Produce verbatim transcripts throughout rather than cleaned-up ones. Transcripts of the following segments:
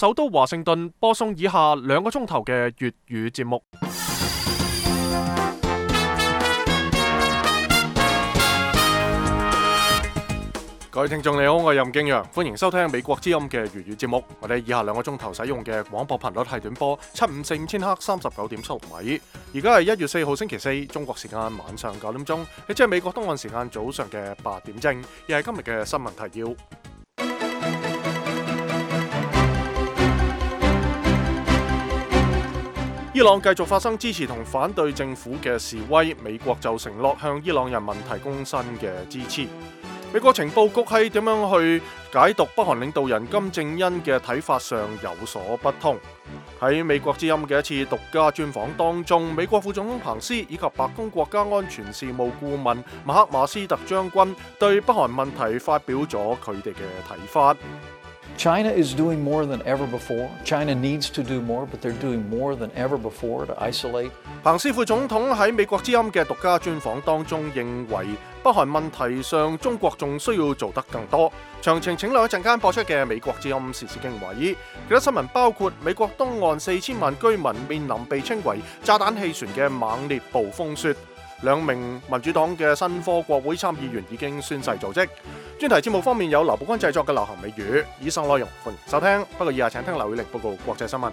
首都華盛頓播送以下兩個鐘頭嘅粵語節目。各位聽眾你好，我係任敬陽，歡迎收聽美國之音嘅粵語節目。我哋以下兩個鐘頭使用嘅廣播頻率係短波七五四五千赫三十九點七六米。而家係一月四號星期四，中國時間晚上九點鐘，亦即係美國東岸時間早上嘅八點正，亦係今日嘅新聞提要。伊朗繼續發生支持同反對政府嘅示威，美國就承諾向伊朗人民提供新嘅支持。美國情報局喺點樣去解讀北韓領導人金正恩嘅睇法上有所不同。喺美國之音嘅一次獨家專訪當中，美國副總統彭斯以及白宮國家安全事務顧問馬克馬斯特將軍對北韓問題發表咗佢哋嘅睇法。China is doing more than ever before. China needs to do more, but they're doing more than ever before to isolate. 彭斯副總統喺美國之音嘅獨家專訪當中認為，北韓問題上中國仲需要做得更多。詳情請留一陣間播出嘅美國之音時事經緯。其他新聞包括美國東岸四千萬居民面臨被稱為炸彈氣旋嘅猛烈暴風雪。兩名民主黨嘅新科國會參議員已經宣誓就職。專題節目方面有劉寶君製作嘅流行美語。以上內容歡迎收聽，不過以下請聽劉宇力報告國際新聞。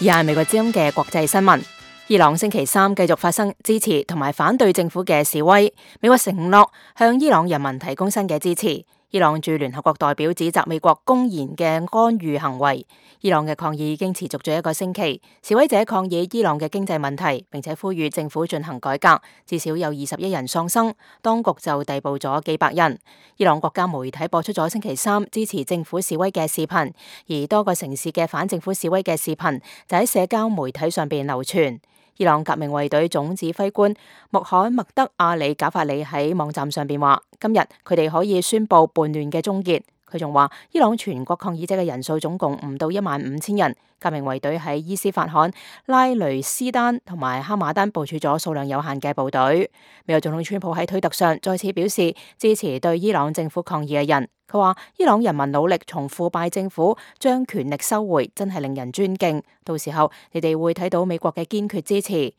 以下係美國之音嘅國際新聞。伊朗星期三繼續發生支持同埋反對政府嘅示威，美國承諾向伊朗人民提供新嘅支持。伊朗駐聯合國代表指責美國公然嘅干預行為。伊朗嘅抗議已經持續咗一個星期，示威者抗議伊朗嘅經濟問題，並且呼籲政府進行改革。至少有二十一人喪生，當局就逮捕咗幾百人。伊朗國家媒體播出咗星期三支持政府示威嘅視頻，而多個城市嘅反政府示威嘅視頻就喺社交媒體上邊流傳。伊朗革命衛隊總指揮官穆罕默德阿里賈法里喺網站上邊話，今日佢哋可以宣布叛亂嘅終結。佢仲話，伊朗全國抗議者嘅人數總共唔到一萬五千人。革命衛隊喺伊斯法罕、拉雷斯丹同埋哈馬丹部署咗數量有限嘅部隊。美國總統川普喺推特上再次表示支持對伊朗政府抗議嘅人。佢話，伊朗人民努力從腐敗政府將權力收回，真係令人尊敬。到時候你哋會睇到美國嘅堅決支持。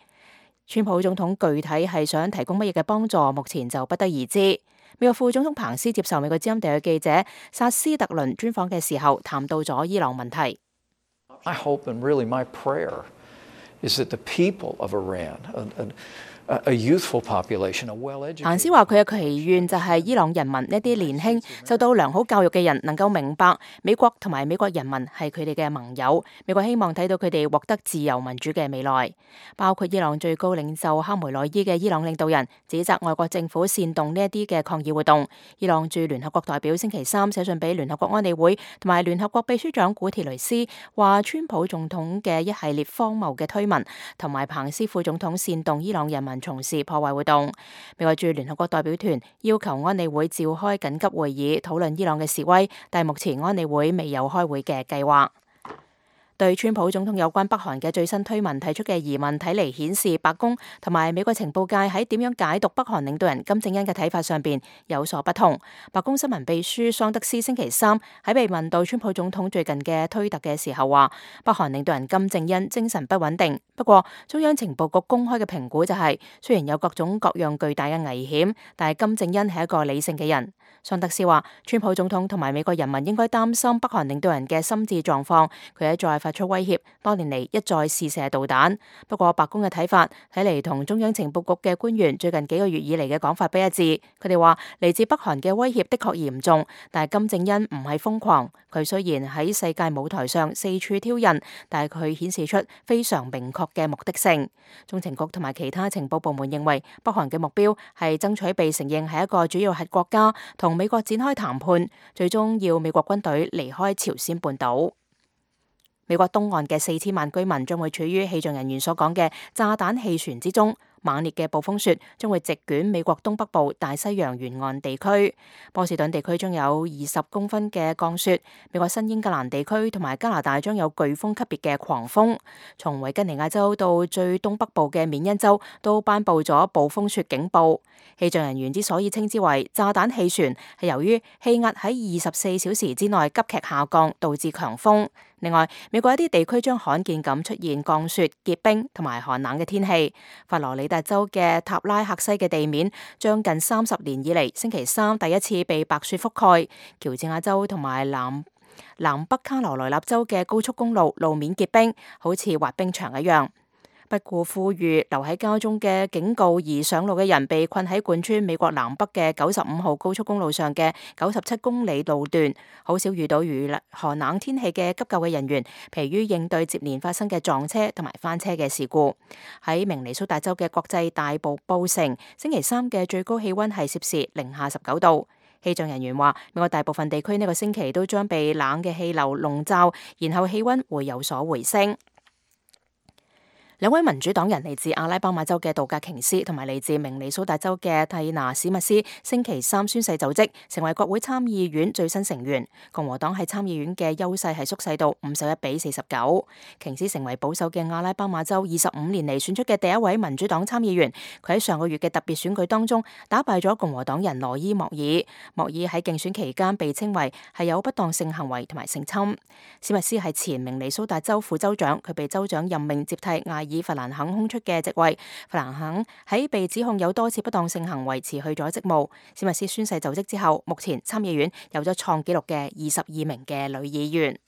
川普總統具體係想提供乜嘢嘅幫助，目前就不得而知。美國副總統彭斯接受美國之音地記者薩斯特倫專訪嘅時候，談到咗伊朗問題。I hope and really my prayer is that the people of Iran, a, a, a youthful population, a well-educated. 彭斯話佢嘅祈願就係伊朗人民一啲年輕、受到良好教育嘅人能夠明白美國同埋美國人民係佢哋嘅盟友。美國希望睇到佢哋獲得自由民主嘅未來。包括伊朗最高領袖哈梅內伊嘅伊朗領導人指責外國政府煽動呢一啲嘅抗議活動。伊朗駐聯合國代表星期三寫信俾聯合國安理會同埋聯合國秘書長古鐵雷斯，話川普總統嘅一系列荒謬嘅推文同埋彭斯副總統煽動伊朗人民從事破壞活動。美國駐聯合國代表團要求安理會召開緊急會議討論伊朗嘅示威，但係目前安理會未有開會嘅計劃。對川普總統有關北韓嘅最新推文提出嘅疑問，睇嚟顯示白宮同埋美國情報界喺點樣解讀北韓領導人金正恩嘅睇法上邊有所不同。白宮新聞秘書桑德斯星期三喺被問到川普總統最近嘅推特嘅時候話，北韓領導人金正恩精神不穩定。不過中央情報局公開嘅評估就係，雖然有各種各樣巨大嘅危險，但係金正恩係一個理性嘅人。桑德斯話，川普總統同埋美國人民應該擔心北韓領導人嘅心智狀況，佢喺再發出威脅，多年嚟一再試射導彈。不過白宮嘅睇法睇嚟同中央情報局嘅官員最近幾個月以嚟嘅講法不一致。佢哋話嚟自北韓嘅威脅的確嚴重，但係金正恩唔係瘋狂。佢雖然喺世界舞台上四處挑釁，但係佢顯示出非常明確嘅目的性。中情局同埋其他情報部門認為，北韓嘅目標係爭取被承認係一個主要核國家，同美國展開談判，最終要美國軍隊離開朝鮮半島。美國東岸嘅四千萬居民將會處於氣象人員所講嘅炸彈氣旋之中。猛烈嘅暴風雪將會席捲美國東北部大西洋沿岸地區。波士頓地區將有二十公分嘅降雪，美國新英格蘭地區同埋加拿大將有颶風級別嘅狂風。從維吉尼亞州到最東北部嘅緬因州都頒布咗暴風雪警報。氣象人員之所以稱之為炸彈氣旋，係由於氣壓喺二十四小時之內急劇下降，導致強風。另外，美國一啲地區將罕見咁出現降雪、結冰同埋寒冷嘅天氣。佛羅里達州嘅塔拉克西嘅地面將近三十年以嚟星期三第一次被白雪覆蓋。喬治亞州同埋南南北卡羅來納州嘅高速公路路面結冰，好似滑冰場一樣。不顧呼籲留喺家中嘅警告而上路嘅人，被困喺貫穿美國南北嘅九十五號高速公路上嘅九十七公里路段，好少遇到如寒冷天氣嘅急救嘅人員，疲於應對接連發生嘅撞車同埋翻車嘅事故。喺明尼蘇達州嘅國際大瀑布城，星期三嘅最高氣溫係攝氏零下十九度。氣象人員話，美國大部分地區呢個星期都將被冷嘅氣流籠罩，然後氣溫會有所回升。兩位民主黨人嚟自阿拉巴馬州嘅杜格瓊斯同埋嚟自明尼蘇達州嘅蒂娜史密斯星期三宣誓就職，成為國會參議院最新成員。共和黨喺參議院嘅優勢係縮細到五十一比四十九。瓊斯成為保守嘅阿拉巴馬州二十五年嚟選出嘅第一位民主黨參議員。佢喺上個月嘅特別選舉當中打敗咗共和黨人羅伊莫爾。莫爾喺競選期間被稱為係有不當性行為同埋性侵。史密斯係前明尼蘇達州副州長，佢被州長任命接替艾以弗蘭肯空出嘅職位。弗蘭肯喺被指控有多次不當性行為辭去咗職務。史密斯宣誓就職之後，目前參議院有咗創紀錄嘅二十二名嘅女議員。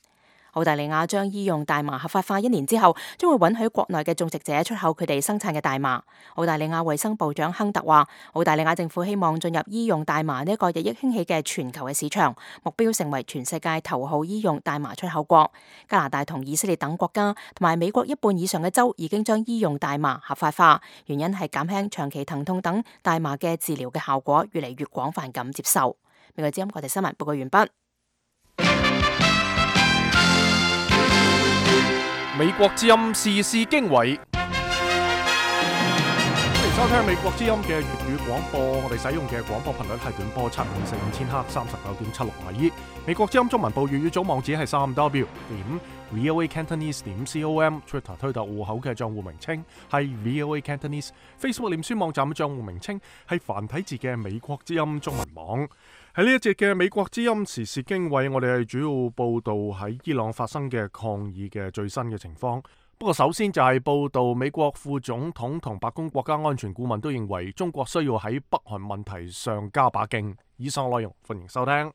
澳大利亞將醫用大麻合法化一年之後，將會允許國內嘅種植者出口佢哋生產嘅大麻。澳大利亞衛生部長亨特話，澳大利亞政府希望進入醫用大麻呢一個日益興起嘅全球嘅市場，目標成為全世界頭號醫用大麻出口國。加拿大同以色列等國家同埋美國一半以上嘅州已經將醫用大麻合法化，原因係減輕長期疼痛等大麻嘅治療嘅效果越嚟越廣泛咁接受。美國之音國際新聞報告完畢。美國之音時事經緯，歡迎收聽美國之音嘅粵語廣播。我哋使用嘅廣播頻率係短波七五四五千赫三十九點七六米。美國之音中文部粵語組網址係三 W 點 V O A Cantonese 點 com。Twitter 推特戶口嘅賬戶名稱係 V O A Cantonese。Facebook 臉書網站嘅賬戶名稱係繁體字嘅美國之音中文網。喺呢一節嘅美國之音時事經緯，我哋係主要報道喺伊朗發生嘅抗議嘅最新嘅情況。不過首先就係報道美國副總統同白宮國家安全顧問都認為中國需要喺北韓問題上加把勁。以上內容歡迎收聽。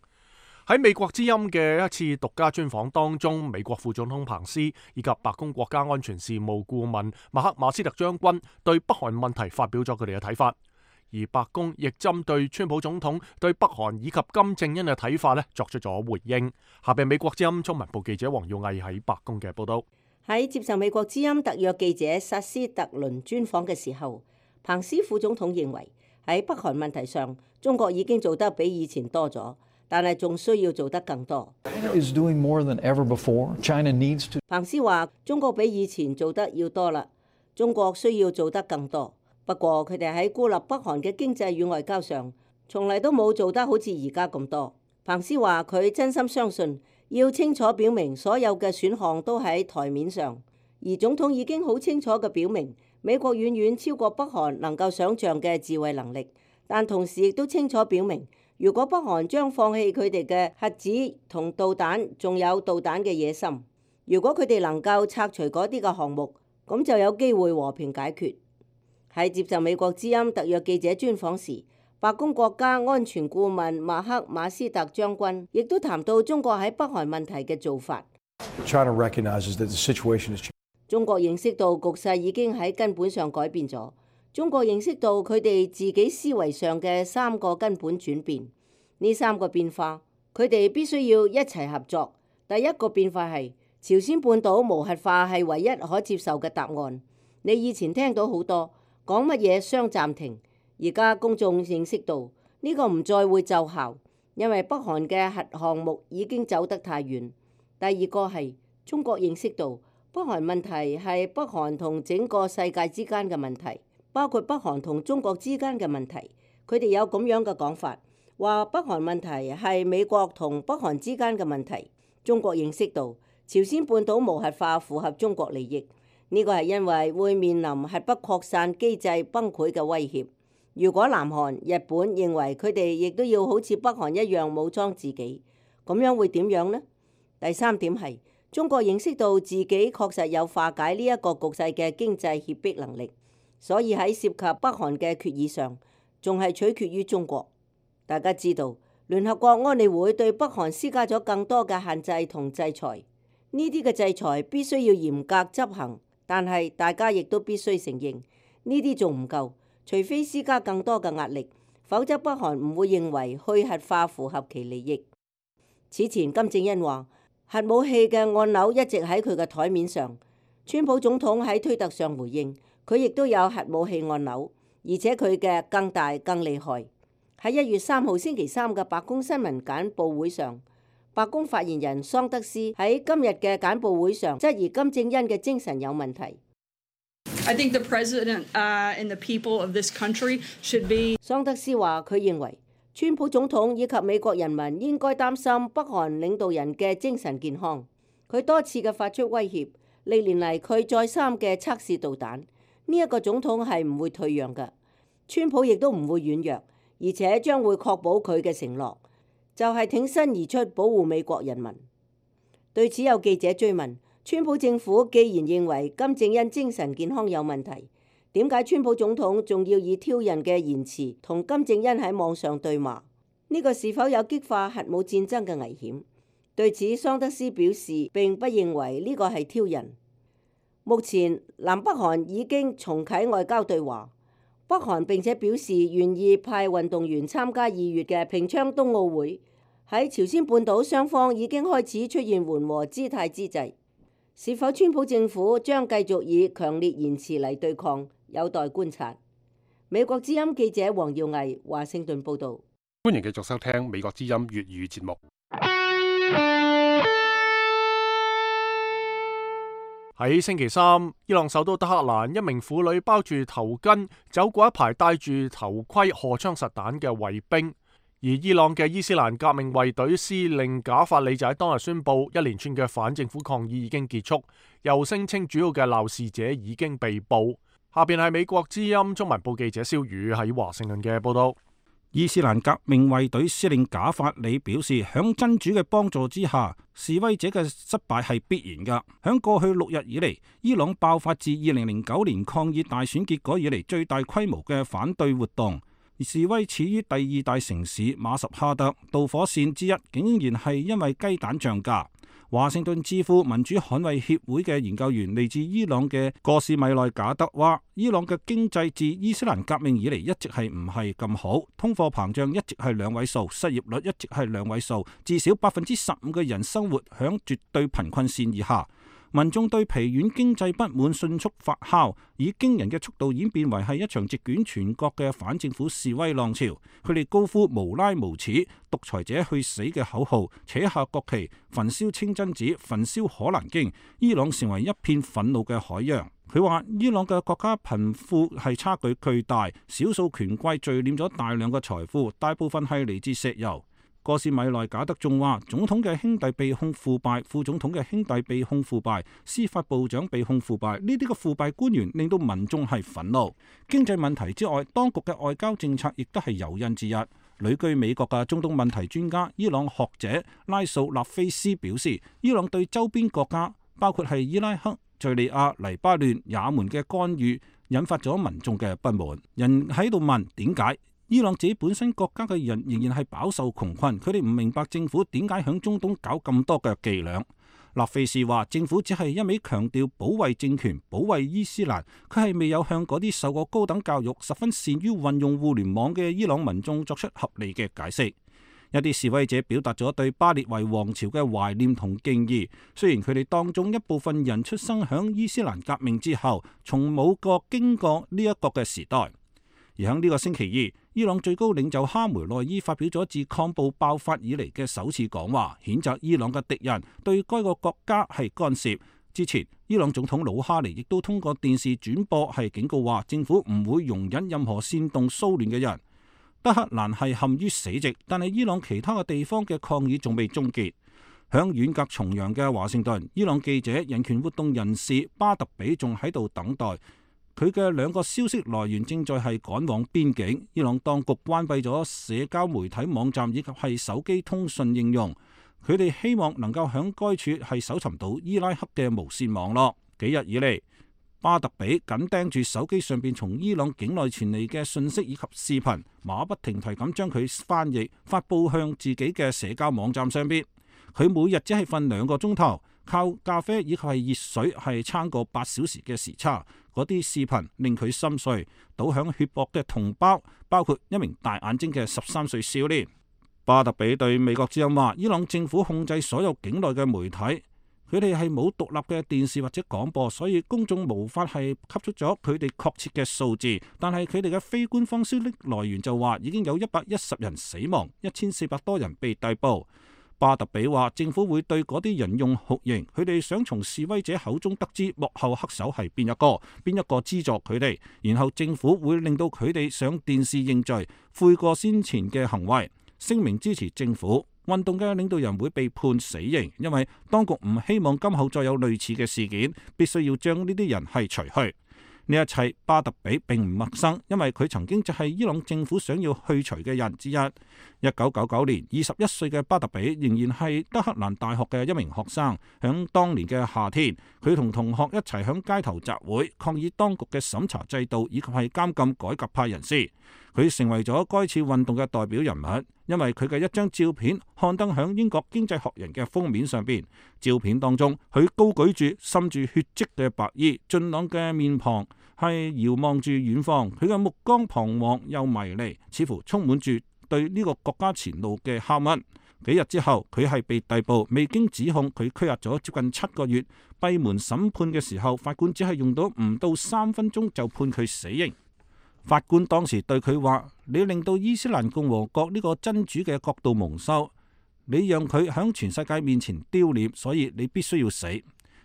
喺美國之音嘅一次獨家專訪當中，美國副總統彭斯以及白宮國家安全事務顧問麥克馬斯特將軍對北韓問題發表咗佢哋嘅睇法。而白宮亦針對川普總統對北韓以及金正恩嘅睇法咧作出咗回應。下邊美國之音中文部記者黃耀毅喺白宮嘅報道。喺接受美國之音特約記者薩斯特倫專訪嘅時候，彭斯副總統認為喺北韓問題上，中國已經做得比以前多咗，但係仲需要做得更多。彭斯話：中國比以前做得要多啦，中國需要做得更多。不過佢哋喺孤立北韓嘅經濟與外交上，從嚟都冇做得好似而家咁多。彭斯話：佢真心相信要清楚表明所有嘅選項都喺台面上，而總統已經好清楚嘅表明，美國遠遠超過北韓能夠想像嘅自衛能力，但同時亦都清楚表明，如果北韓將放棄佢哋嘅核子同導彈，仲有導彈嘅野心，如果佢哋能夠拆除嗰啲嘅項目，咁就有機會和平解決。喺接受美國之音特約記者專訪時，白宮國家安全顧問馬克馬斯特將軍亦都談到中國喺北韓問題嘅做法。中國認識到局勢已經喺根本上改變咗。中國認識到佢哋自己思維上嘅三個根本轉變。呢三個變化，佢哋必須要一齊合作。第一個變化係朝鮮半島無核化係唯一可接受嘅答案。你以前聽到好多講乜嘢雙暫停，而家公眾認識到呢個唔再會奏效，因為北韓嘅核項目已經走得太遠。第二個係中國認識到北韓問題係北韓同整個世界之間嘅問題，包括北韓同中國之間嘅問題。佢哋有咁樣嘅講法，話北韓問題係美國同北韓之間嘅問題。中國認識到朝鮮半島無核化符合中國利益，呢個係因為會面臨核不擴散機制崩潰嘅威脅。如果南韓、日本認為佢哋亦都要好似北韓一樣武裝自己，咁樣會點樣呢？第三點係中國認識到自己確實有化解呢一個局勢嘅經濟脅迫能力，所以喺涉及北韓嘅決議上，仲係取決於中國。大家知道，聯合國安理會對北韓施加咗更多嘅限制同制裁，呢啲嘅制裁必須要嚴格執行，但係大家亦都必須承認，呢啲仲唔夠，除非施加更多嘅壓力，否則北韓唔會認為去核化符合其利益。此前金正恩話核武器嘅按鈕一直喺佢嘅台面上，川普總統喺推特上回應，佢亦都有核武器按鈕，而且佢嘅更大更厲害。喺一月三號星期三嘅白宮新聞簡報會上，白宮發言人桑德斯喺今日嘅簡報會上質疑金正恩嘅精神有問題。I think the president, uh, and the people of this country should be... 桑德斯話佢認為川普總統以及美國人民應該擔心北韓領導人嘅精神健康。佢多次嘅發出威脅，歷年嚟佢再三嘅測試導彈，呢一個總統係唔會退讓嘅，川普亦都唔會軟弱，而且將會確保佢嘅承諾，就係挺身而出保護美國人民。對此有記者追問，川普政府既然認為金正恩精神健康有問題，點解川普總統仲要以挑釁嘅言辭同金正恩喺網上對罵？呢個是否有激化核武戰爭嘅危險？對此，桑德斯表示並不認為呢個係挑釁。目前南北韓已經重啟外交對話，北韓並且表示願意派運動員參加二月嘅平昌冬奧會。喺朝鮮半島雙方已經開始出現緩和姿態之際，是否川普政府將繼續以強烈言辭嚟對抗，有待觀察。美國之音記者黃耀毅華盛頓報導。歡迎繼續收聽美國之音粵語節目。喺星期三，伊朗首都德黑蘭，一名婦女包住頭巾走過一排戴住頭盔、荷槍實彈嘅衛兵，而伊朗嘅伊斯蘭革命衛隊司令賈法里就喺當日宣布，一連串嘅反政府抗議已經結束，又聲稱主要嘅鬧事者已經被捕。下邊係美國之音中文部記者蕭宇喺華盛頓嘅報道。伊斯蘭革命衛隊司令賈法里表示，響真主嘅幫助之下，示威者嘅失敗係必然噶。響過去六日以嚟，伊朗爆發自二零零九年抗議大選結果以嚟最大規模嘅反對活動，而示威始於第二大城市馬什哈德，導火線之一竟然係因為雞蛋漲價。華盛頓智庫民主捍衛協會嘅研究員嚟自伊朗嘅戈士米內賈德話，伊朗嘅經濟自伊斯蘭革命以嚟一直係唔係咁好，通貨膨脹一直係兩位數，失業率一直係兩位數，至少百分之十五嘅人生活響絕對貧困線以下。民眾對疲軟經濟不滿迅速發酵，以驚人嘅速度演變為係一場席捲全國嘅反政府示威浪潮。佢哋高呼無拉無恥、獨裁者去死嘅口號，扯下國旗，焚燒清真寺，焚燒可蘭經。伊朗成為一片憤怒嘅海洋。佢話伊朗嘅國家貧富係差距巨大，少數權貴聚斂咗大量嘅財富，大部分係嚟自石油。戈士米內賈德仲話，總統嘅兄弟被控腐敗，副總統嘅兄弟被控腐敗，司法部長被控腐敗，呢啲嘅腐敗官員令到民眾係憤怒。經濟問題之外，當局嘅外交政策亦都係誘因之一。旅居美國嘅中東問題專家、伊朗學者拉素納菲斯表示，伊朗對周邊國家，包括係伊拉克、敘利亞、黎巴嫩、也門嘅干預，引發咗民眾嘅不滿。人喺度問點解？伊朗自己本身國家嘅人仍然係飽受窮困，佢哋唔明白政府點解響中東搞咁多嘅伎倆。納菲士話，政府只係一味強調保衛政權、保衛伊斯蘭，佢係未有向嗰啲受過高等教育、十分善於運用互聯網嘅伊朗民眾作出合理嘅解釋。一啲示威者表達咗對巴列維王朝嘅懷念同敬意，雖然佢哋當中一部分人出生響伊斯蘭革命之後，從冇過經過呢一個嘅時代。而喺呢個星期二，伊朗最高領袖哈梅內伊發表咗自抗暴爆發以嚟嘅首次講話，譴責伊朗嘅敵人對該個國家係干涉，之前，伊朗總統魯哈尼亦都通過電視轉播係警告話，政府唔會容忍任何煽動騷亂嘅人。德黑蘭係陷於死寂，但係伊朗其他嘅地方嘅抗議仲未終結。響遠隔重洋嘅華盛頓，伊朗記者、人權活動人士巴特比仲喺度等待。佢嘅兩個消息來源正在係趕往邊境。伊朗當局關閉咗社交媒體網站以及係手機通訊應用。佢哋希望能夠響該處係搜尋到伊拉克嘅無線網絡。幾日以嚟，巴特比緊盯住手機上邊從伊朗境內傳嚟嘅信息以及視頻，馬不停蹄咁將佢翻譯發佈向自己嘅社交網站上邊。佢每日只係瞓兩個鐘頭，靠咖啡以及係熱水係撐過八小時嘅時差。嗰啲視頻令佢心碎，倒響血泊嘅同胞，包括一名大眼睛嘅十三歲少年。巴特比對美國之音話，伊朗政府控制所有境內嘅媒體，佢哋係冇獨立嘅電視或者廣播，所以公眾無法係吸出咗佢哋確切嘅數字。但係佢哋嘅非官方消息來源就話，已經有一百一十人死亡，一千四百多人被逮捕。巴特比話，政府會對嗰啲人用酷刑，佢哋想從示威者口中得知幕後黑手係邊一個，邊一個資助佢哋，然後政府會令到佢哋上電視認罪，悔過先前嘅行為，聲明支持政府。運動嘅領導人會被判死刑，因為當局唔希望今後再有類似嘅事件，必須要將呢啲人係除去。呢一切巴特比並唔陌生，因為佢曾經就係伊朗政府想要去除嘅人之一。一九九九年，二十一歲嘅巴特比仍然係德黑蘭大學嘅一名學生。響當年嘅夏天，佢同同學一齊響街頭集會，抗議當局嘅審查制度以及係監禁改革派人士。佢成為咗該次運動嘅代表人物，因為佢嘅一張照片刊登響英國經濟學人嘅封面上邊。照片當中，佢高舉住滲住血跡嘅白衣，俊朗嘅面龐係遙望住遠方，佢嘅目光彷徨又迷離，似乎充滿住對呢個國家前路嘅拷問。幾日之後，佢係被逮捕，未經指控，佢拘押咗接近七個月。閉門審判嘅時候，法官只係用到唔到三分鐘就判佢死刑。法官當時對佢話：你令到伊斯蘭共和國呢個真主嘅國度蒙羞，你讓佢響全世界面前丟臉，所以你必須要死。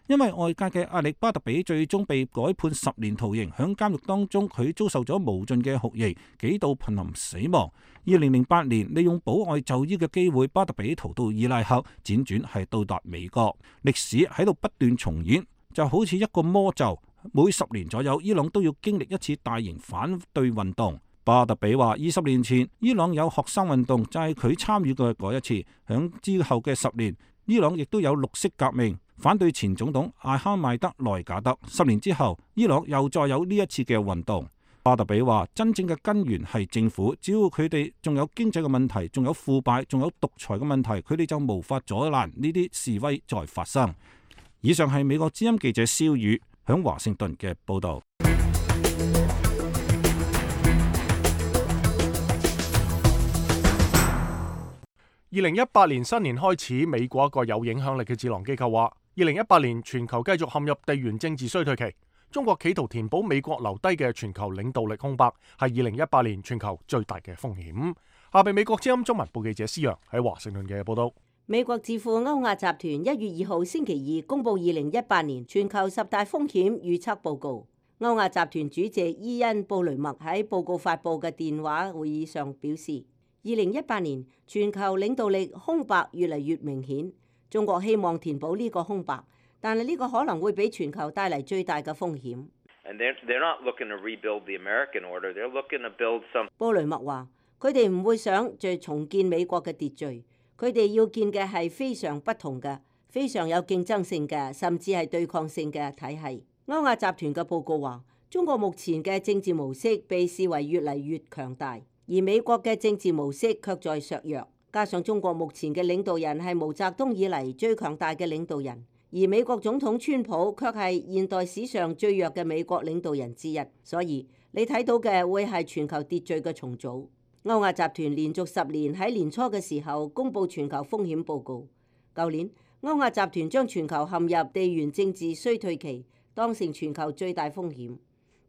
因為外界嘅壓力，巴特比最終被改判十年徒刑。響監獄當中，佢遭受咗無盡嘅酷刑，幾度瀕臨死亡。二零零八年，利用保外就醫嘅機會，巴特比逃到伊拉克，輾轉係到達美國。歷史喺度不斷重演，就好似一個魔咒。每十年左右，伊朗都要經歷一次大型反對運動。巴特比話：二十年前，伊朗有學生運動，就係佢參與嘅嗰一次。響之後嘅十年，伊朗亦都有綠色革命，反對前總統艾哈邁德內賈德。十年之後，伊朗又再有呢一次嘅運動。巴特比話：真正嘅根源係政府，只要佢哋仲有經濟嘅問題，仲有腐敗，仲有獨裁嘅問題，佢哋就無法阻攔呢啲示威再發生。以上係美國之音記者蕭宇響華盛頓嘅報道。二零一八年新年開始，美國一個有影響力嘅智囊機構話，二零一八年全球繼續陷入地緣政治衰退期。中國企圖填補美國留低嘅全球領導力空白，係二零一八年全球最大嘅風險。下邊美國之音中文部記者施洋喺華盛頓嘅報道。美國智庫歐亞集團一月二號星期二公布二零一八年全球十大風險預測報告。歐亞集團主席伊恩布雷默喺報告發佈嘅電話會議上表示，二零一八年全球領導力空白越嚟越明顯，中國希望填補呢個空白，但係呢個可能會俾全球帶嚟最大嘅風險。布雷默話：佢哋唔會想再重建美國嘅秩序。佢哋要建嘅係非常不同嘅、非常有競爭性嘅，甚至係對抗性嘅體系。歐亞集團嘅報告話，中國目前嘅政治模式被視為越嚟越強大，而美國嘅政治模式卻在削弱。加上中國目前嘅領導人係毛澤東以嚟最強大嘅領導人，而美國總統川普卻係現代史上最弱嘅美國領導人之一。所以你睇到嘅會係全球秩序嘅重組。歐亞集團連續十年喺年初嘅時候公布全球風險報告。舊年，歐亞集團將全球陷入地緣政治衰退期當成全球最大風險。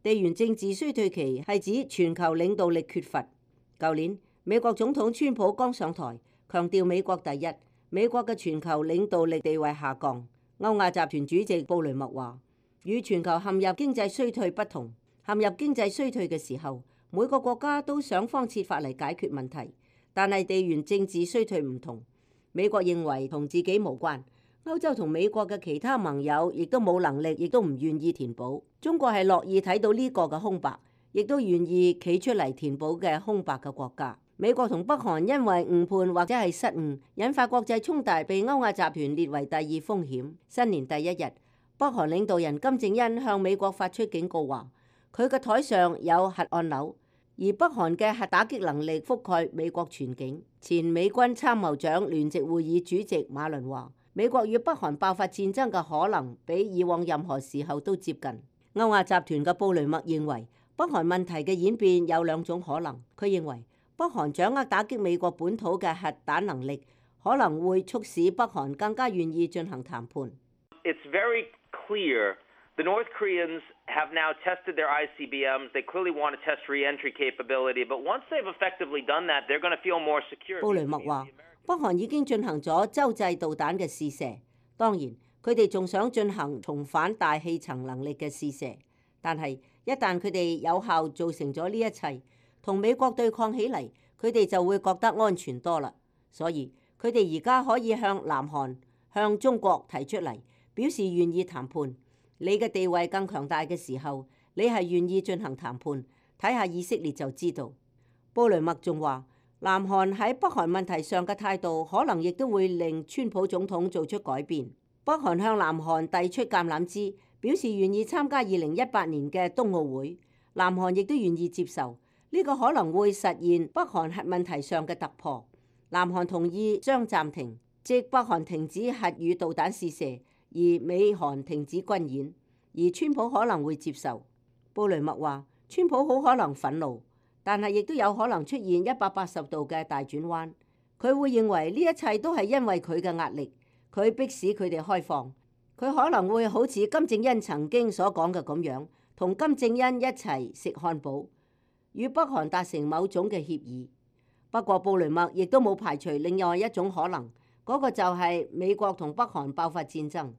地緣政治衰退期係指全球領導力缺乏。舊年，美國總統川普剛上台，強調美國第一，美國嘅全球領導力地位下降。歐亞集團主席布雷默話，與全球陷入經濟衰退不同，陷入經濟衰退嘅時候，每個國家都想方設法嚟解決問題，但係地緣政治衰退唔同。美國認為同自己無關，歐洲同美國嘅其他盟友亦都冇能力，亦都唔願意填補。中國係樂意睇到呢個嘅空白，亦都願意企出嚟填補嘅空白嘅國家。美國同北韓因為誤判或者係失誤，引發國際衝突，被歐亞集團列為第二風險。新年第一日，北韓領導人金正恩向美國發出警告話，佢嘅台上有核按鈕，而北韓嘅核打擊能力覆蓋美國全境。前美軍參謀長聯席會議主席馬倫話，美國與北韓爆發戰爭嘅可能比以往任何時候都接近。歐亞集團嘅布雷默認為，北韓問題嘅演變有兩種可能。佢認為北韓掌握打擊美國本土嘅核彈能力，可能會促使北韓更加願意進行談判。It's very clear the North Koreans have now tested their I C B Ms. They clearly want to test re-entry capability, but once they've effectively done that, they're going to feel more secure. 布雷默話，北韓已經進行咗洲際導彈嘅試射，當然佢哋仲想進行重返大氣層能力嘅試射，但係一旦佢哋有效造成咗呢一切，同美國對抗起嚟，佢哋就會覺得安全多啦。所以佢哋而家可以向南韓、向中國提出嚟，表示願意談判。你嘅地位更強大嘅時候，你係願意進行談判。睇下以色列就知道。布雷默仲話，南韓喺北韓問題上嘅態度，可能亦都會令川普總統做出改變。北韓向南韓遞出橄欖枝，表示願意參加二零一八年嘅冬奧會。南韓亦都願意接受。呢個可能會實現北韓核問題上嘅突破。南韓同意將暫停，即北韓停止核與導彈試射，而美韓停止軍演。而川普可能會接受。布雷默話，川普好可能憤怒，但係亦都有可能出現一百八十度嘅大轉彎。佢會認為呢一切都係因為佢嘅壓力，佢迫使佢哋開放。佢可能會好似金正恩曾經所講嘅咁樣，同金正恩一齊食漢堡，與北韓達成某種嘅協議。不過布雷默亦都冇排除另外一種可能，嗰個就係美國同北韓爆發戰爭。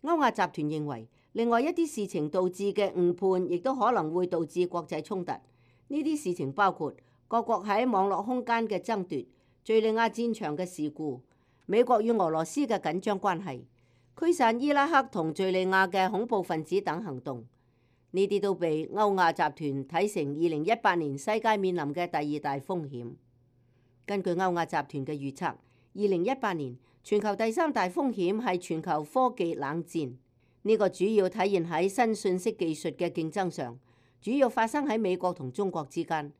歐亞集團認為，另外一啲事情導致嘅誤判，亦都可能會導致國際衝突。呢啲事情包括各國喺網絡空間嘅爭奪、敘利亞戰場嘅事故、美國與俄羅斯嘅緊張關係、驅散伊拉克同敘利亞嘅恐怖分子等行動。呢啲都被歐亞集團睇成二零一八年世界面臨嘅第二大風險。根據歐亞集團嘅預測，二零一八年全球第三大風險係全球科技冷戰。呢個主要體現喺新信息技術嘅競爭上，主要發生喺美國同中國之間。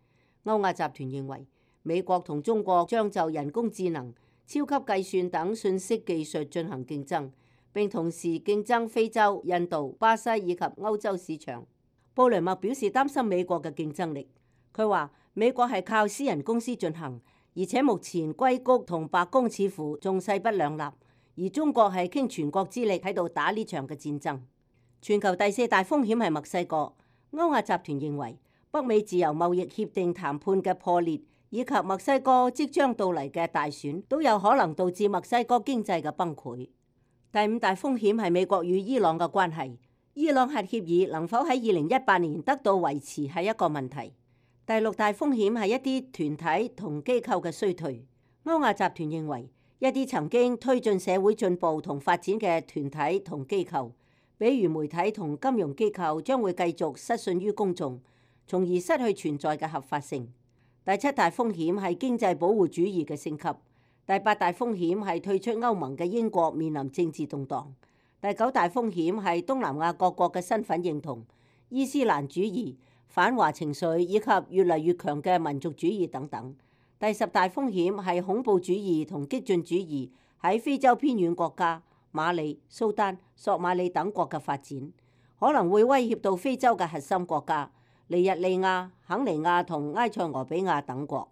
歐亞集團認為，美國同中國將就人工智能、超級計算等信息技術進行競爭，並同時競爭非洲、印度、巴西以及歐洲市場。布雷默表示擔心美國嘅競爭力。佢話美國係靠私人公司進行，而且目前硅谷同白宮似乎仲勢不兩立，而中國係傾全國之力喺度打呢場嘅戰爭。全球第四大風險係墨西哥。歐亞集團認為北美自由貿易協定談判嘅破裂，以及墨西哥即將到嚟嘅大選，都有可能導致墨西哥經濟嘅崩潰。第五大風險係美國與伊朗嘅關係。伊朗核協議能否喺二零一八年得到維持係一個問題。第六大風險係一啲團體同機構嘅衰退。歐亞集團認為一啲曾經推進社會進步同發展嘅團體同機構，比如媒體同金融機構，將會繼續失信於公眾，從而失去存在嘅合法性。第七大風險係經濟保護主義嘅升級。第八大風險係退出歐盟嘅英國面臨政治動盪。第九大風險係東南亞各國嘅身份認同、伊斯蘭主義、反華情緒以及越嚟越強嘅民族主義等等。第十大風險係恐怖主義同激進主義喺非洲偏遠國家馬里、蘇丹、索馬里等國嘅發展，可能會威脅到非洲嘅核心國家尼日利亞、肯尼亞同埃塞俄比亞等國。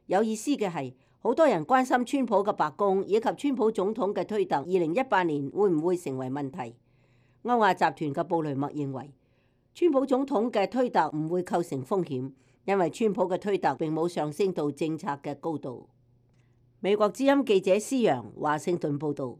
有意思嘅係，好多人關心川普嘅白宮以及川普總統嘅推特，二零一八年會唔會成為問題？歐亞集團嘅布雷默認為，川普總統嘅推特唔會構成風險，因為川普嘅推特並冇上升到政策嘅高度。美國之音記者施揚華盛頓報導。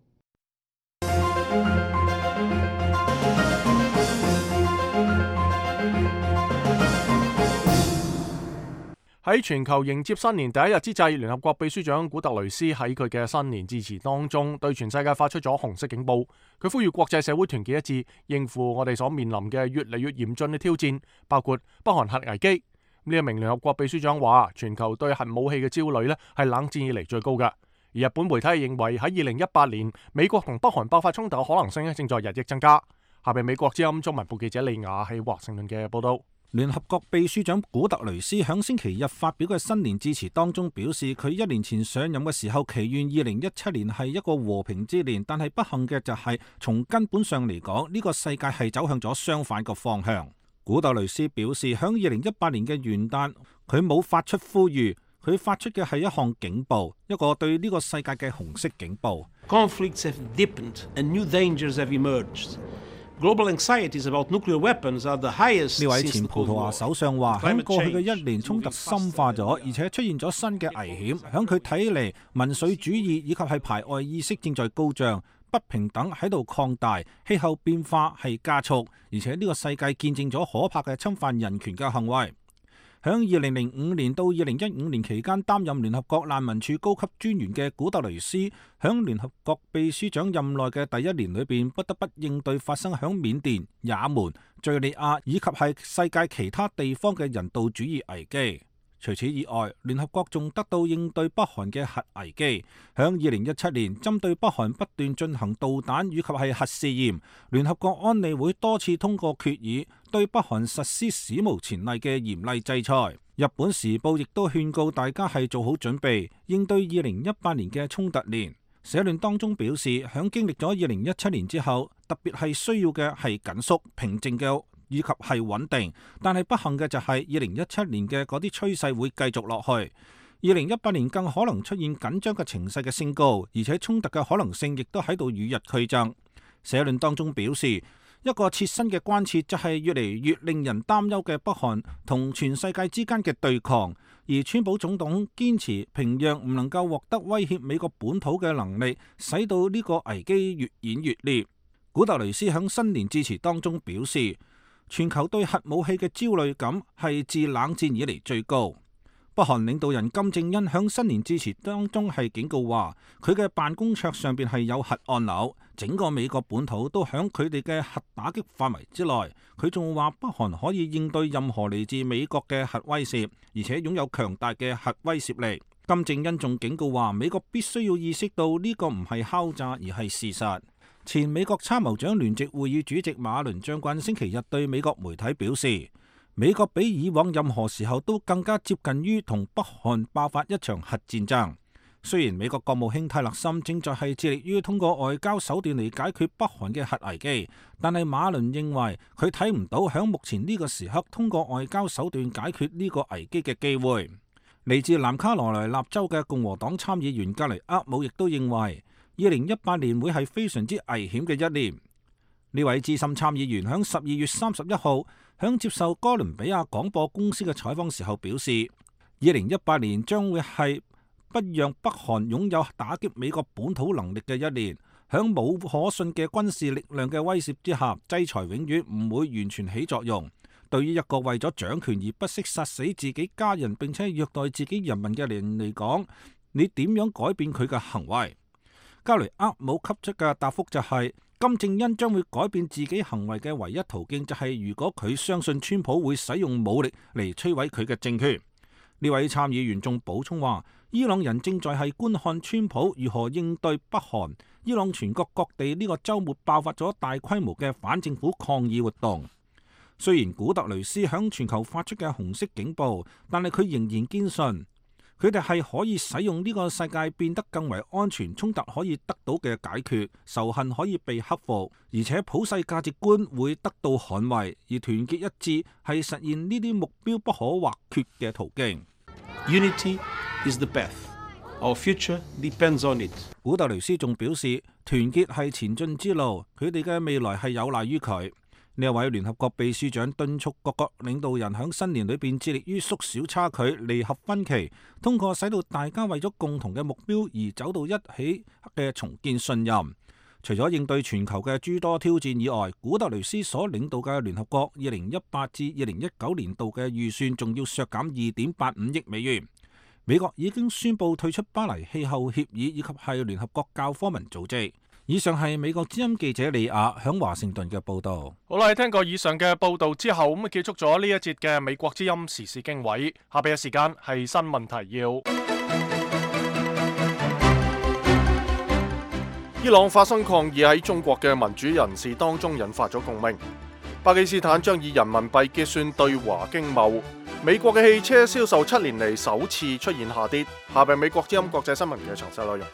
喺全球迎接新年第一日之際，聯合國秘書長古特雷斯喺佢嘅新年致辭當中，對全世界發出咗紅色警報。佢呼籲國際社會團結一致，應付我哋所面臨嘅越嚟越嚴峻嘅挑戰，包括北韓核危機。呢一名聯合國秘書長話，全球對核武器嘅焦慮呢係冷戰以嚟最高嘅。而日本媒體認為喺二零一八年，美國同北韓爆發衝突嘅可能性咧正在日益增加。下邊美國之音中文部記者李雅喺華盛頓嘅報道。聯合國秘書長古特雷斯響星期日發表嘅新年致辭當中表示，佢一年前上任嘅時候祈願二零一七年係一個和平之年，但係不幸嘅就係從根本上嚟講，呢個世界係走向咗相反嘅方向。古特雷斯表示，響二零一八年嘅元旦，佢冇發出呼籲，佢發出嘅係一項警報，一個對呢個世界嘅紅色警報。Conflicts have deepened and new dangers have emerged. Global anxieties about nuclear weapons are the highest. 呢位前葡萄牙首相話，喺過去嘅一年，衝突深化咗，而且出現咗新嘅危險。響佢睇嚟，民粹主義以及係排外意識正在高漲，不平等喺度擴大，氣候變化係加速，而且呢個世界見證咗可怕嘅侵犯人權嘅行為。響二零零五年到二零一五年期間擔任聯合國難民署高級專員嘅古特雷斯，響聯合國秘書長任內嘅第一年裏邊，不得不應對發生響緬甸、也門、敘利亞以及係世界其他地方嘅人道主義危機。除此以外，聯合國仲得到應對北韓嘅核危機。響二零一七年，針對北韓不斷進行導彈以及係核試驗，聯合國安理會多次通過決議，對北韓實施史無前例嘅嚴厲制裁。日本時報亦都勸告大家係做好準備，應對二零一八年嘅衝突年。社論當中表示，響經歷咗二零一七年之後，特別係需要嘅係緊縮、平靜嘅以及係穩定，但係不幸嘅就係二零一七年嘅嗰啲趨勢會繼續落去。二零一八年更可能出現緊張嘅情勢嘅升高，而且衝突嘅可能性亦都喺度與日俱增。社論當中表示，一個切身嘅關切就係越嚟越令人擔憂嘅北韓同全世界之間嘅對抗，而川普總統堅持平壤唔能夠獲得威脅美國本土嘅能力，使到呢個危機越演越烈。古特雷斯喺新年致辭當中表示，全球對核武器嘅焦慮感係自冷戰以嚟最高。北韓領導人金正恩喺新年致辭當中係警告話，佢嘅辦公桌上邊係有核按鈕，整個美國本土都喺佢哋嘅核打擊範圍之內。佢仲話北韓可以應對任何嚟自美國嘅核威懾，而且擁有強大嘅核威懾力。金正恩仲警告話，美國必須要意識到呢個唔係敲詐，而係事實。前美國參謀長聯席會議主席馬倫將軍星期日對美國媒體表示，美國比以往任何時候都更加接近於同北韓爆發一場核戰爭。雖然美國國務卿泰勒森正在係致力於通過外交手段嚟解決北韓嘅核危機，但係馬倫認為佢睇唔到響目前呢個時刻通過外交手段解決呢個危機嘅機會。嚟自南卡羅來納州嘅共和黨參議員格雷厄姆亦都認為，二零一八年會係非常之危險嘅一年。呢位資深參議員響十二月三十一號響接受哥倫比亞廣播公司嘅採訪時候表示，二零一八年將會係不讓北韓擁有打擊美國本土能力嘅一年。響冇可信嘅軍事力量嘅威懾之下，制裁永遠唔會完全起作用。對於一個為咗掌權而不惜殺死自己家人並且虐待自己人民嘅人嚟講，你點樣改變佢嘅行為？格雷厄姆給出嘅答覆就係、是，金正恩將會改變自己行為嘅唯一途徑就係如果佢相信川普會使用武力嚟摧毀佢嘅政權。呢位參議員仲補充話，伊朗人正在係觀看川普如何應對北韓。伊朗全國各地呢個週末爆發咗大規模嘅反政府抗議活動。雖然古特雷斯響全球發出嘅紅色警報，但係佢仍然堅信，佢哋係可以使用呢個世界變得更為安全，衝突可以得到嘅解決，仇恨可以被克服，而且普世價值觀會得到捍衛，而團結一致係實現呢啲目標不可或缺嘅途徑。Unity is the path. Our future depends on it. 古特雷斯仲表示，團結係前進之路，佢哋嘅未來係有賴於佢。呢一位聯合國秘書長敦促各國領導人喺新年裏邊致力於縮小差距、彌合分歧，通過使到大家為咗共同嘅目標而走到一起嘅重建信任。除咗應對全球嘅諸多挑戰以外，古特雷斯所領導嘅聯合國二零一八至二零一九年度嘅預算仲要削減二點八五億美元。美國已經宣布退出巴黎氣候協議以及係聯合國教科文組織。以上係美國之音記者李亞響華盛頓嘅報道。好啦，聽過以上嘅報道之後，咁啊結束咗呢一節嘅美國之音時事經緯。下邊嘅時間係新聞提要。伊朗發生抗議喺中國嘅民主人士當中引發咗共鳴。巴基斯坦將以人民幣結算對華經貿。美國嘅汽車銷售七年嚟首次出現下跌。下邊美國之音國際新聞嘅詳細內容。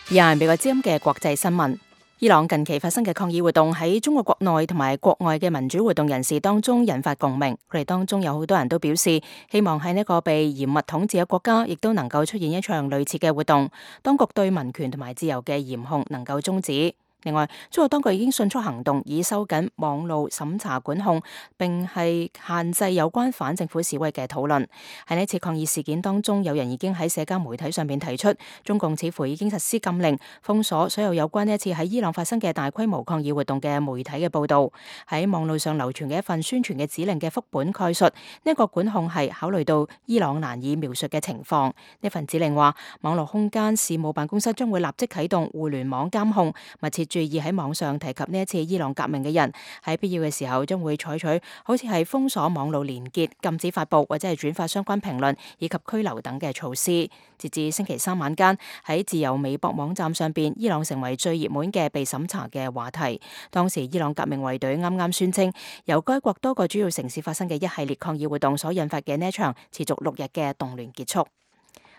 以下係美國之音嘅國際新聞。伊朗近期發生嘅抗議活動喺中國國內同埋國外嘅民主活動人士當中引發共鳴，佢哋當中有好多人都表示希望喺呢個被嚴密統治嘅國家，亦都能夠出現一場類似嘅活動，當局對民權同埋自由嘅嚴控能夠終止。另外，中國當局已經迅速行動，以收緊網路審查管控，並係限制有關反政府示威嘅討論。喺呢次抗議事件當中，有人已經喺社交媒體上面提出，中共似乎已經實施禁令，封鎖所有有關呢一次喺伊朗發生嘅大規模抗議活動嘅媒體嘅報導。喺網路上流傳嘅一份宣傳嘅指令嘅副本概述，呢、這、一個管控係考慮到伊朗難以描述嘅情況。呢份指令話，網絡空間事務辦公室將會立即啟動互聯網監控，密切注意喺網上提及呢一次伊朗革命嘅人，喺必要嘅時候將會採取好似係封鎖網路連結、禁止發布或者係轉發相關評論以及拘留等嘅措施。截至星期三晚間，喺自由微博網站上邊，伊朗成為最熱門嘅被審查嘅話題。當時伊朗革命衛隊啱啱宣稱，由該國多個主要城市發生嘅一系列抗議活動所引發嘅呢一場持續六日嘅動亂結束。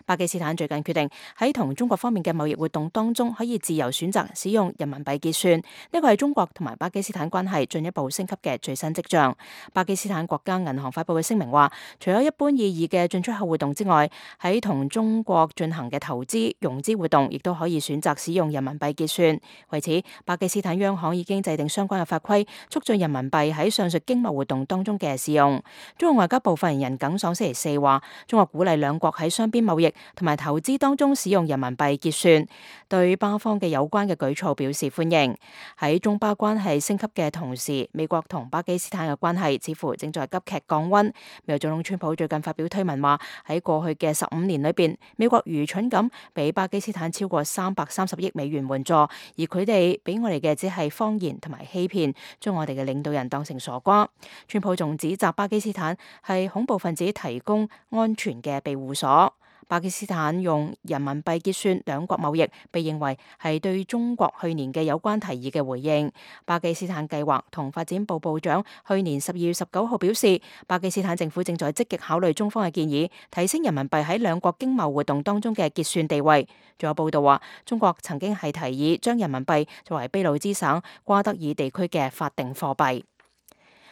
巴基斯坦最近決定喺同中國方面嘅貿易活動當中，可以自由選擇使用人民幣結算，呢個係中國同埋巴基斯坦關係進一步升級嘅最新跡象。巴基斯坦國家銀行發布嘅聲明話，除咗一般意義嘅進出口活動之外，喺同中國進行嘅投資融資活動，亦都可以選擇使用人民幣結算。為此，巴基斯坦央行已經制定相關嘅法規，促進人民幣喺上述經貿活動當中嘅使用。中國外交部發言人耿爽星期四話，中國鼓勵兩國喺雙邊貿易同埋投資當中使用人民幣結算，對巴方嘅有關嘅舉措表示歡迎。喺中巴關係升級嘅同時，美國同巴基斯坦嘅關係似乎正在急劇降溫。美國總統川普最近發表推文話，喺過去嘅十五年裏邊，美國愚蠢咁俾巴基斯坦超過三百三十億美元援助，而佢哋俾我哋嘅只係謊言同埋欺騙，將我哋嘅領導人當成傻瓜。川普仲指責巴基斯坦係恐怖分子提供安全嘅庇護所。巴基斯坦用人民幣結算兩國貿易，被認為係對中國去年嘅有關提議嘅回應。巴基斯坦計劃同發展部部長去年十二月十九號表示，巴基斯坦政府正在積極考慮中方嘅建議，提升人民幣喺兩國經貿活動當中嘅結算地位。仲有報道話，中國曾經係提議將人民幣作為俾路支省瓜德爾地區嘅法定貨幣。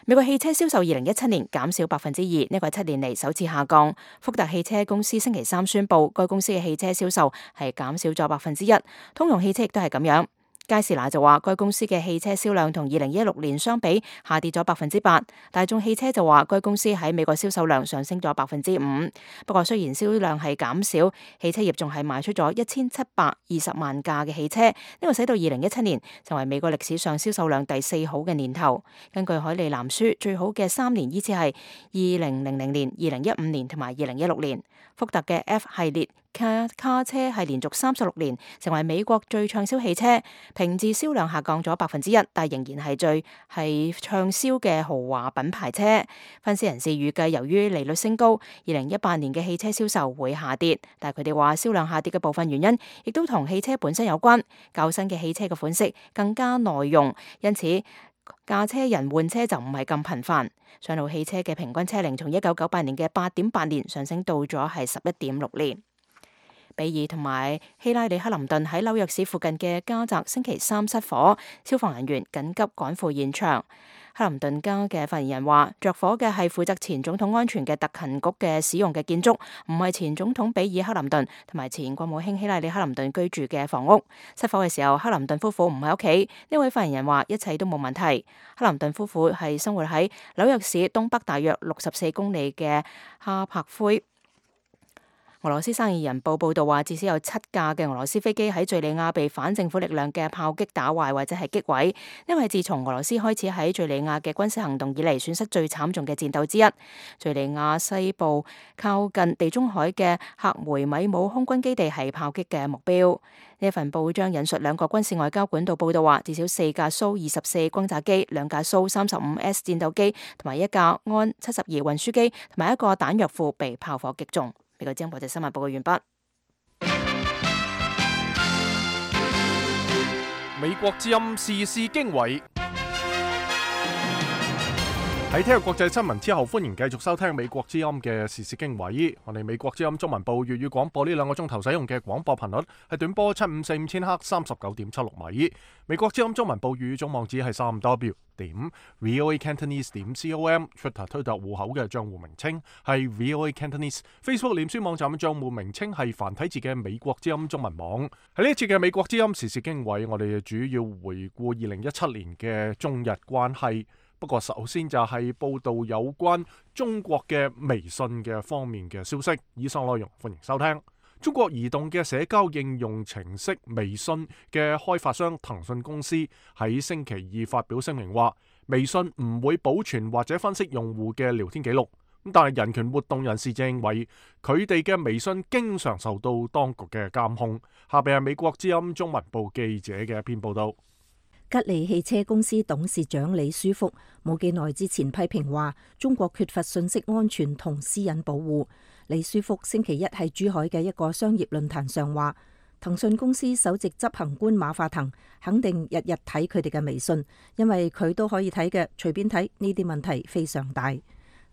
美國汽車銷售二零一七年減少百分之二，呢個係七年嚟首次下降。福特汽車公司星期三宣布，該公司嘅汽車銷售係減少咗百分之一。通用汽車亦都係咁樣。佳士拿就話，該公司嘅汽車銷量同二零一六年相比下跌咗百分之八。大眾汽車就話，該公司喺美國銷售量上升咗百分之五。不過雖然銷量係減少，汽車業仲係賣出咗一千七百二十萬架嘅汽車，呢個使到二零一七年成為美國歷史上銷售量第四好嘅年頭。根據海利藍書，最好嘅三年依次係二零零零年、二零一五年同埋二零一六年。福特嘅 F 系列卡卡車係連續三十六年成為美國最暢銷汽車，平治銷量下降咗百分之一，但仍然係最係暢銷嘅豪華品牌車。分析人士預計，由於利率升高，二零一八年嘅汽車銷售會下跌，但係佢哋話銷量下跌嘅部分原因，亦都同汽車本身有關。較新嘅汽車嘅款式更加耐用，因此駕車人換車就唔係咁頻繁。上路汽車嘅平均車齡從一九九八年嘅八點八年上升到咗係十一點六年。比爾同埋希拉里克林頓喺紐約市附近嘅家宅星期三失火，消防人員緊急趕赴現場。克林頓家嘅發言人話，着火嘅係負責前總統安全嘅特勤局嘅使用嘅建築，唔係前總統比爾克林頓同埋前國務卿希拉里克林頓居住嘅房屋。失火嘅時候，克林頓夫婦唔喺屋企。呢位發言人話，一切都冇問題。克林頓夫婦係生活喺紐約市東北大約六十四公里嘅哈柏灰。俄羅斯生意人報報道話，至少有七架嘅俄羅斯飛機喺敘利亞被反政府力量嘅炮擊打壞或者係擊毀，因為自從俄羅斯開始喺敘利亞嘅軍事行動以嚟，損失最慘重嘅戰鬥之一。敘利亞西部靠近地中海嘅克梅米姆空軍基地係炮擊嘅目標。呢份報章引述兩個軍事外交管道報道話，至少四架蘇二十四轟炸機、兩架蘇三十五 S 戰鬥機同埋一架安七十二運輸機同埋一個彈藥庫被炮火擊中。呢個《國際新聞報告》完畢。美國之音時事經緯。喺聽日國際新聞之後，歡迎繼續收聽美國之音嘅時事經緯。我哋美國之音中文部粵語廣播呢兩個鐘頭使用嘅廣播頻率係短波七五四五千赫三十九點七六米。美國之音中文部粵語總網址係三 W 點 VOA Cantonese 點 com。Twitter 推特戶口嘅賬戶名稱係 VOA Cantonese。Facebook 臉書網站嘅賬戶名稱係繁體字嘅美國之音中文網。喺呢一次嘅美國之音時事經緯，我哋主要回顧二零一七年嘅中日關係。不過首先就係報道有關中國嘅微信嘅方面嘅消息。以上內容歡迎收聽。中國移動嘅社交應用程式微信嘅開發商騰訊公司喺星期二發表聲明話，微信唔會保存或者分析用戶嘅聊天記錄。但係人權活動人士就認為佢哋嘅微信經常受到當局嘅監控。下邊係美國之音中文部記者嘅一篇報道。吉利汽車公司董事長李書福冇幾耐之前批評話，中國缺乏信息安全同私隱保護。李書福星期一喺珠海嘅一個商業論壇上話，騰訊公司首席執行官馬化騰肯定日日睇佢哋嘅微信，因為佢都可以睇嘅，隨便睇，呢啲問題非常大。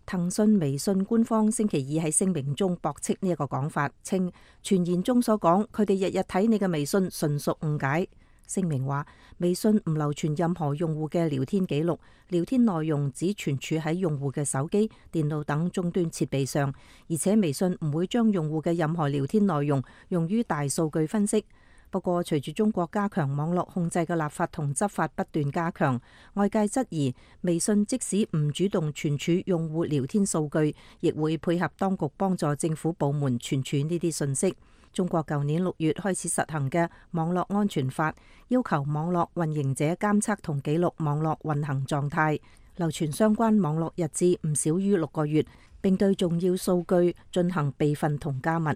騰訊微信官方星期二喺聲明中駁斥呢一個講法，稱傳言中所講佢哋日日睇你嘅微信純屬誤解。聲明話，微信唔留存任何用戶嘅聊天記錄，聊天內容只存儲喺用戶嘅手機、電腦等終端設備上，而且微信唔會將用戶嘅任何聊天內容用於大數據分析。不過，隨住中國加強網絡控制嘅立法同執法不斷加強，外界質疑微信即使唔主動存儲用戶聊天數據，亦會配合當局幫助政府部門存儲呢啲信息。中國舊年六月開始實行嘅網絡安全法，要求網絡運營者監測同記錄網絡運行狀態，流傳相關網絡日誌唔少於六個月，並對重要數據進行備份同加密。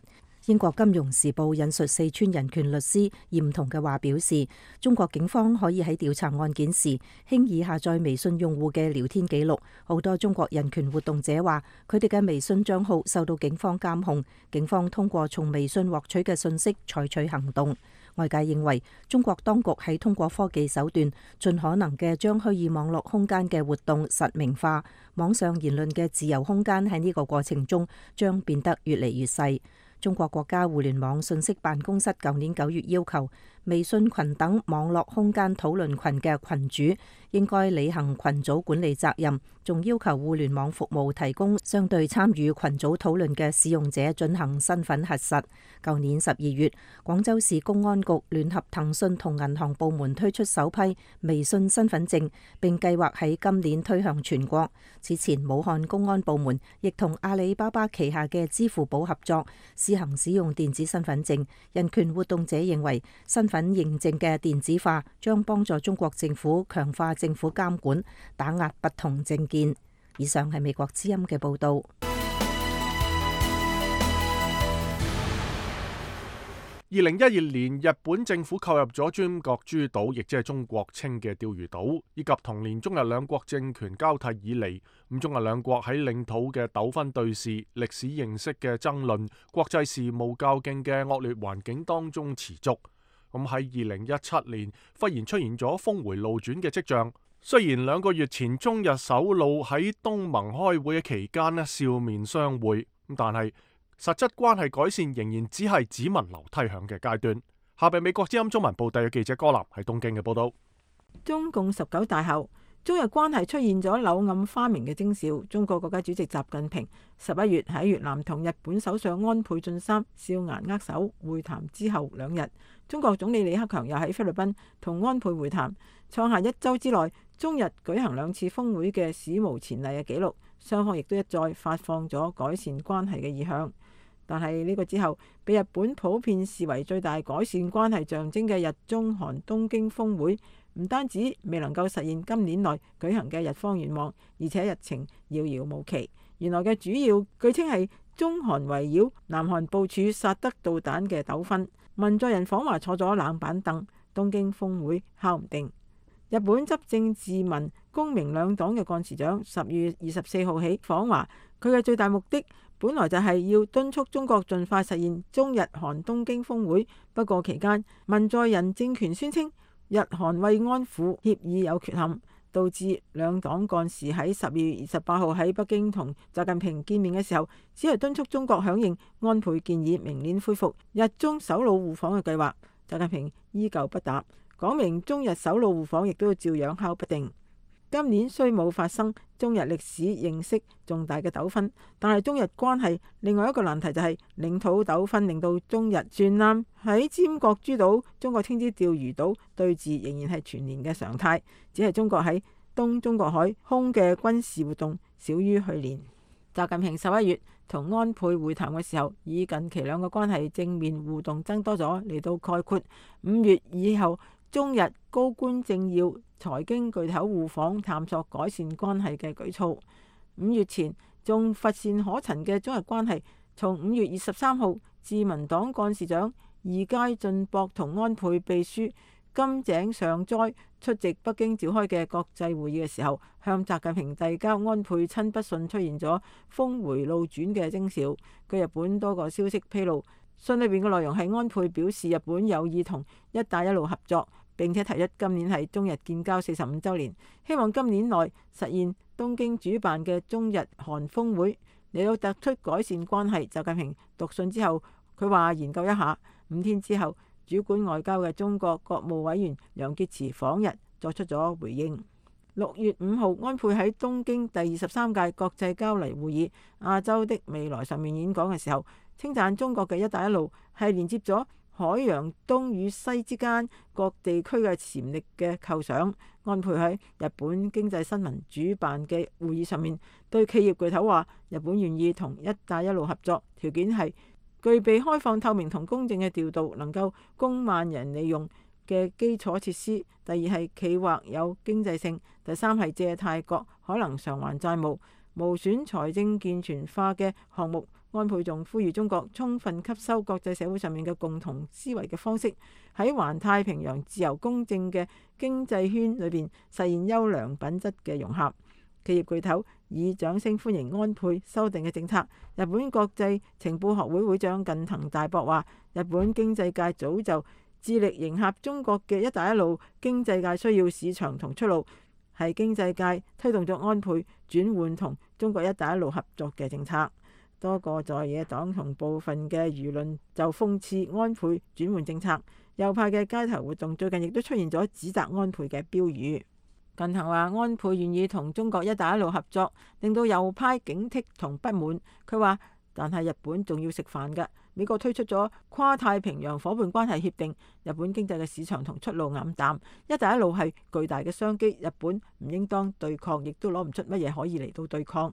英國金融時報引述四川人權律師嚴彤嘅話表示，中國警方可以喺調查案件時輕易下載微信用戶嘅聊天記錄。好多中國人權活動者話，佢哋嘅微信賬號受到警方監控，警方通過從微信獲取嘅信息採取行動。外界認為，中國當局喺通過科技手段，盡可能嘅將虛擬網絡空間嘅活動實名化，網上言論嘅自由空間喺呢個過程中將變得越嚟越細。中國國家互聯網信息辦公室舊年九月要求，微信群等網絡空間討論群嘅群主應該履行群組管理責任，仲要求互聯網服務提供相對參與群組討論嘅使用者進行身份核實。舊年十二月，廣州市公安局聯合騰訊同銀行部門推出首批微信身份證，並計劃喺今年推向全國。此前，武漢公安部門亦同阿里巴巴旗下嘅支付寶合作，試行使用電子身份證。人權活動者認為，身份認證嘅電子化將幫助中國政府強化政府監管，打壓不同政見。以上係美國之音嘅報導。二零一二年，日本政府購入咗尖閣諸島，亦即係中國稱嘅釣魚島，以及同年中日兩國政權交替以嚟，咁中日兩國喺領土嘅糾紛對峙、歷史認識嘅爭論、國際事務較勁嘅惡劣環境當中持續。咁喺二零一七年，忽然出現咗峰回路轉嘅跡象。雖然兩個月前中日首腦喺東盟開會嘅期間呢笑面相會，但係實質關係改善仍然只係只聞樓梯響嘅階段。下邊美國之音中文部特約記者柯南喺東京嘅報道。中共十九大後，中日關係出現咗柳暗花明嘅徵兆。中國國家主席習近平十一月喺越南同日本首相安倍晉三笑顏握手會談之後兩日，中國總理李克強又喺菲律賓同安倍會談，創下一週之內中日舉行兩次峰會嘅史無前例嘅紀錄。雙方亦都一再發放咗改善關係嘅意向。但係呢個之後，被日本普遍視為最大改善關係象徵嘅日中韓東京峰會，唔單止未能夠實現今年內舉行嘅日方願望，而且日程遙遙無期。原來嘅主要據稱係中韓圍繞南韓部署薩德導彈嘅糾紛，文在寅訪華坐咗冷板凳，東京峰會敲唔定。日本執政自民公明兩黨嘅幹事長十月二十四號起訪華，佢嘅最大目的本來就係要敦促中國盡快實現中日韓東京峰會。不過期間文在寅政權宣稱日韓慰安婦協議有缺陷，導致兩黨幹事喺十月二十八號喺北京同習近平見面嘅時候，只係敦促中國響應安倍建議，明年恢復日中首腦互訪嘅計劃。習近平依舊不答，講明中日首腦互訪亦都要照樣敲不定。今年雖冇發生中日歷史認識重大嘅糾紛，但係中日關係另外一個難題就係領土糾紛，令到中日船艦喺尖閣諸島（中國稱之釣魚島）對峙仍然係全年嘅常態，只係中國喺東中國海空嘅軍事活動少於去年。習近平十一月同安倍會談嘅時候，以近期兩個關係正面互動增多咗嚟到概括五月以後中日高官政要、財經巨頭互訪探索改善關係嘅舉措。五月前仲乏善可陳嘅中日關係，從五月二十三號自民黨幹事長二階俊博同安倍秘書金井上哉出席北京召開嘅國際會議嘅時候，向習近平遞交安倍親筆信，出現咗峰回路轉嘅徵兆。據日本多個消息披露，信裏邊嘅內容係安倍表示日本有意同一帶一路合作，並且提出今年係中日建交四十五週年，希望今年內實現東京主辦嘅中日韓峰會，嚟到突出改善關係。習近平讀信之後，佢話研究一下。五天之後，主管外交嘅中國國務委員楊潔篪訪日作出咗回應。六月五號，安倍喺東京第二十三屆國際交流會議亞洲的未來上面演講嘅時候，稱讚中國嘅一帶一路係連接咗海洋東與西之間各地區嘅潛力嘅構想。安倍喺日本經濟新聞主辦嘅會議上面對企業巨頭話，日本願意同一帶一路合作，條件係具備開放透明同公正嘅調度，能夠供萬人利用嘅基礎設施。第二係企劃有經濟性。第三係借貸國可能償還債務，無損財政健全化嘅項目。安倍仲呼籲中國充分吸收國際社會上面嘅共同思維嘅方式，喺環太平洋自由公正嘅經濟圈裏邊實現優良品質嘅融合。企業巨頭以掌聲歡迎安倍修訂嘅政策。日本國際情報學會會長近藤大博話，日本經濟界早就致力迎合中國嘅一帶一路經濟界需要市場同出路，係經濟界推動咗安倍轉換同中國一帶一路合作嘅政策。多個在野黨同部分嘅輿論就諷刺安倍轉換政策。右派嘅街頭活動最近亦都出現咗指責安倍嘅標語。近藤話安倍願意同中國一帶一路合作，令到右派警惕同不滿。佢話，但係日本仲要食飯㗎。美國推出咗跨太平洋夥伴關係協定，日本經濟嘅市場同出路黯淡。一帶一路係巨大嘅商機，日本唔應當對抗，亦都攞唔出乜嘢可以嚟到對抗。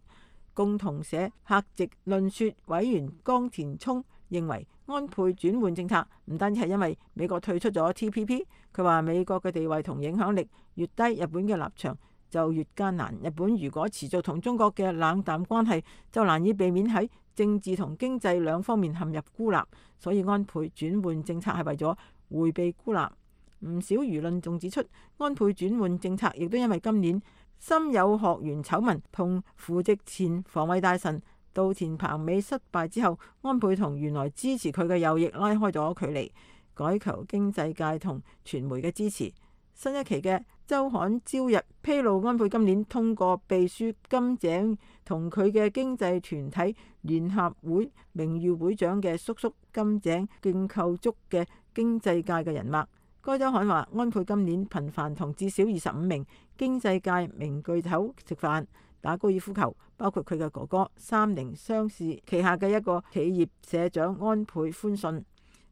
共同社客席論說委員江田聰認為，安倍轉換政策唔單止係因為美國退出咗 T P P， 佢話美國嘅地位同影響力越低，日本嘅立場就越艱難。日本如果持續同中國嘅冷淡關係，就難以避免喺政治同經濟兩方面陷入孤立。所以安倍轉換政策係為咗迴避孤立。唔少輿論仲指出，安倍轉換政策亦都因為今年森友學園醜聞同扶植前防衛大臣稻田朋美失敗之後，安倍同原來支持佢嘅右翼拉開咗距離，改求經濟界同傳媒嘅支持。新一期嘅週刊朝日披露，安倍今年通過秘書金井同佢嘅經濟團體聯合會名譽會長嘅叔叔金井建構築嘅經濟界嘅人脈，該週刊話，安倍今年頻繁同至少二十五名經濟界名巨頭食飯、打高爾夫球，包括佢嘅哥哥三菱商事旗下嘅一個企業社長安倍寬信。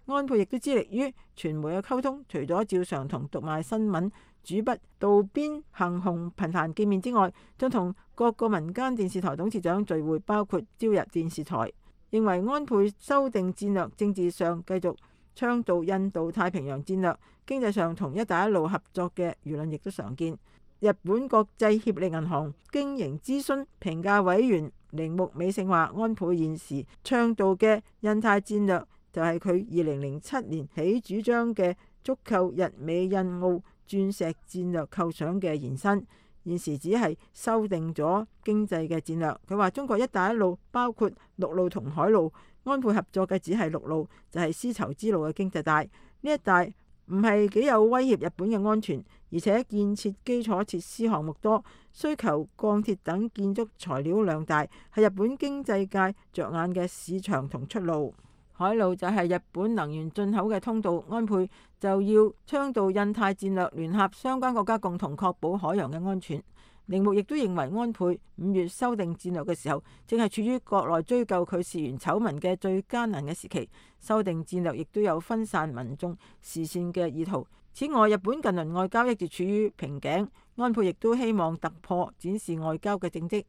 安倍亦都致力於傳媒嘅溝通，除咗照常同讀賣新聞主筆渡邊幸雄頻繁見面之外，仲同各個民間電視台董事長聚會，包括朝日電視台。認為安倍修訂戰略，政治上繼續倡導印度太平洋戰略，經濟上同一帶一路合作嘅輿論亦都常見。日本國際協力銀行經營諮詢評價委員鈴木美勝話，安倍現時倡導嘅印太戰略就係佢二零零七年起主張嘅足扣日美印澳鑽石戰略構想嘅延伸，現時只係修訂咗經濟嘅戰略。佢話中國一帶一路包括陸路同海路，安倍合作嘅只係陸路，就係絲綢之路嘅經濟帶。呢一帶唔係幾有威脅日本嘅安全，而且建設基礎設施項目多，需求鋼鐵等建築材料量大，係日本經濟界着眼嘅市場同出路。海路就係日本能源進口嘅通道，安倍就要倡導印太戰略，聯合相關國家共同確保海洋嘅安全。鈴木亦都認為安倍五月修訂戰略嘅時候，正係處於國內追究佢事源醜聞嘅最艱難嘅時期。修訂戰略亦都有分散民眾視線嘅意圖。此外，日本近輪外交一直處於瓶頸，安倍亦都希望突破，展示外交嘅政績。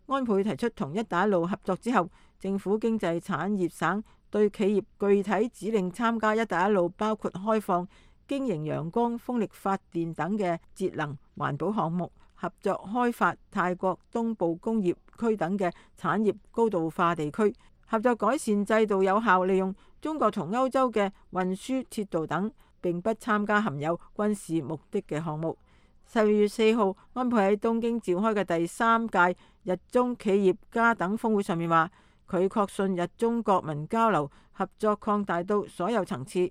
安倍提出同一帶一路合作之後，政府經濟產業省對企業具體指令參加一帶一路，包括開放經營陽光風力發電等嘅節能環保項目，合作開發泰國東部工業區等嘅產業高度化地區，合作改善制度，有效利用中國同歐洲嘅運輸鐵道等，並不參加含有軍事目的嘅項目。十二月四號，安倍喺東京召開嘅第三屆日中企業家等峰會上面話，佢確信日中國民交流合作擴大到所有層次，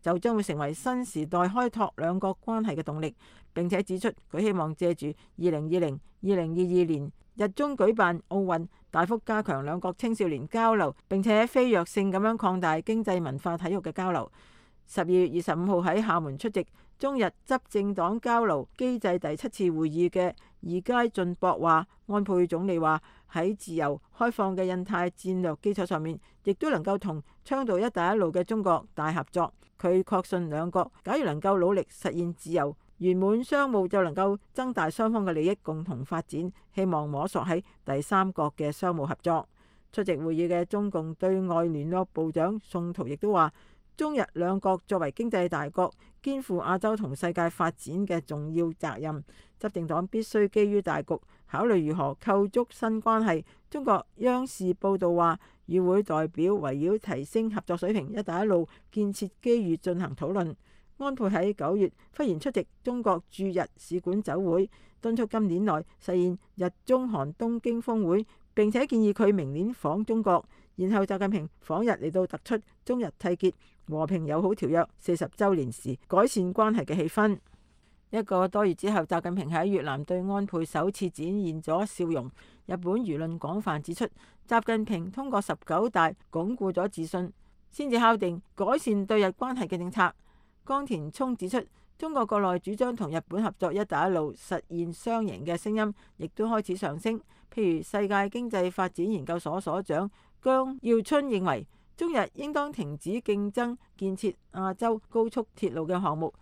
就將會成為新時代開拓兩國關係嘅動力。並且指出，佢希望借住二零二零、二零二二年日中舉辦奧運，大幅加強兩國青少年交流，並且飛躍性咁樣擴大經濟文化體育嘅交流。十二月二十五號喺廈門出席中日執政黨交流機制第七次會議嘅二階俊博話，安倍總理話喺自由開放嘅印太戰略基礎上面，亦都能夠同倡導一帶一路嘅中國大合作。佢確信兩國假如能夠努力實現自由圓滿商務，就能夠增大雙方嘅利益，共同發展。希望摸索喺第三國嘅商務合作。出席會議嘅中共對外聯絡部長宋濤亦都話，中日兩國作為經濟大國，肩負亞洲同世界發展嘅重要責任。執政黨必須基於大局，考慮如何構築新關係。中國央視報道話，與會代表圍繞提升合作水平、一帶一路建設機遇進行討論。安倍喺九月忽然出席中國駐日使館酒會，敦促今年內實現日中韓東京峰會，並且建議佢明年訪中國。然後習近平訪日嚟到突出中日締結和平友好條約四十週年時改善關係嘅氣氛。一個多月之後，習近平喺越南對安倍首次展現咗笑容。日本輿論廣泛指出，習近平通過十九大鞏固咗自信，先至敲定改善對日關係嘅政策。江田聰指出，中國國內主張同日本合作一帶一路實現雙贏嘅聲音亦都開始上升。譬如世界經濟發展研究所所長姜耀春認為，中日應當停止競爭，建設亞洲高速鐵路嘅項目，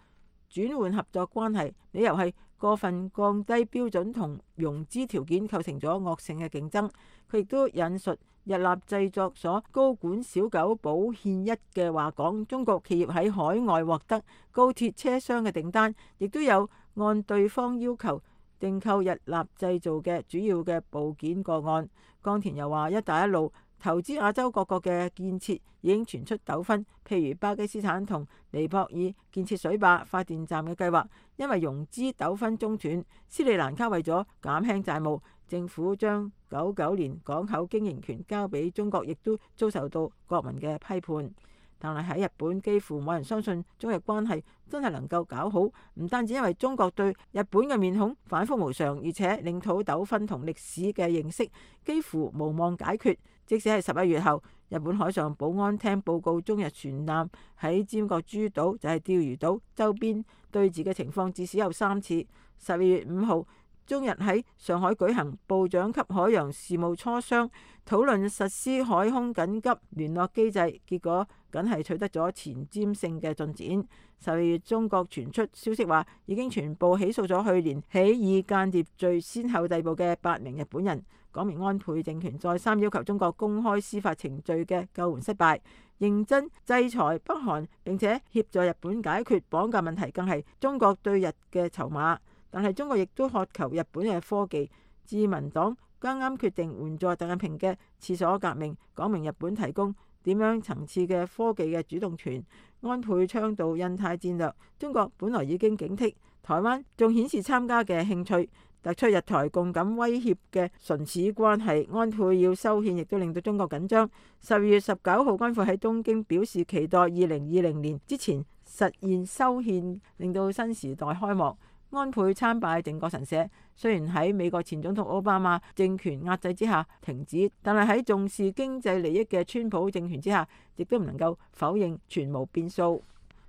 轉換合作關係。理由係過分降低標準同融資條件構成咗惡性嘅競爭。佢亦都引述日立製作所高管小久保憲一嘅話講，中國企業喺海外獲得高鐵車廂嘅訂單，亦都有按對方要求訂購日立製造嘅主要嘅部件個案。江田又話，一帶一路投資亞洲各國嘅建設已經傳出糾紛，譬如巴基斯坦同尼泊爾建設水壩發電站嘅計劃，因為融資糾紛中斷。斯里蘭卡為咗減輕債務，政府將九九年港口經營權交俾中國，亦都遭受到國民嘅批判。但係喺日本，幾乎冇人相信中日關係真係能夠搞好，唔單止因為中國對日本嘅面孔反覆無常，而且領土糾紛同歷史嘅認識幾乎無望解決。即使係十一月後，日本海上保安廳報告，中日船艦喺尖閣諸島就係釣魚島周邊對峙嘅情況至少有三次。十二月五號，中日喺上海舉行部長級海洋事務磋商，討論實施海空緊急聯絡機制，結果僅係取得咗前瞻性嘅進展。十二月，中國傳出消息話，已經全部起訴咗去年起以間諜罪先後逮捕嘅八名日本人。講明安倍政權再三要求中國公開司法程序嘅救援失敗，認真制裁北韓，並且協助日本解決綁架問題，更係中國對日嘅籌碼。但係中國亦都渴求日本嘅科技。自民黨啱啱決定援助習近平嘅廁所革命，講明日本提供點樣層次嘅科技嘅主動權。安倍倡導印太戰略，中國本來已經警惕，台灣仲顯示參加嘅興趣，突出日台共感威脅嘅唇齒關係。安倍要修憲，亦都令到中國緊張。十二月十九號，安倍喺東京表示期待二零二零年之前實現修憲，令到新時代開幕。安倍參拜靖國神社，雖然喺美國前總統奧巴馬政權壓制之下停止，但係喺重視經濟利益嘅川普政權之下，亦都唔能夠否認全無變數。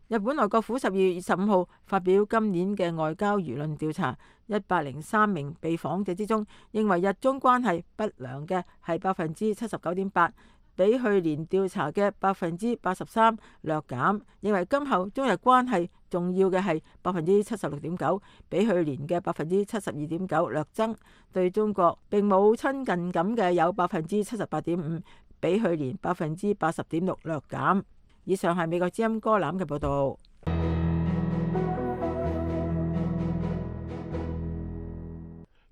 日本內閣府十二月二十五號發表今年嘅外交輿論調查，一百零三名被訪者之中，認為日中關係不良嘅係百分之七十九點八，比去年調查嘅百分之八十三略減。認為今後中日關係重要嘅係百分之七十六點九，比去年嘅百分之七十二點九略增。對中國並冇親近感嘅有百分之七十八點五，比去年百分之八十點六略減。以上係美國之音歌欖嘅報導。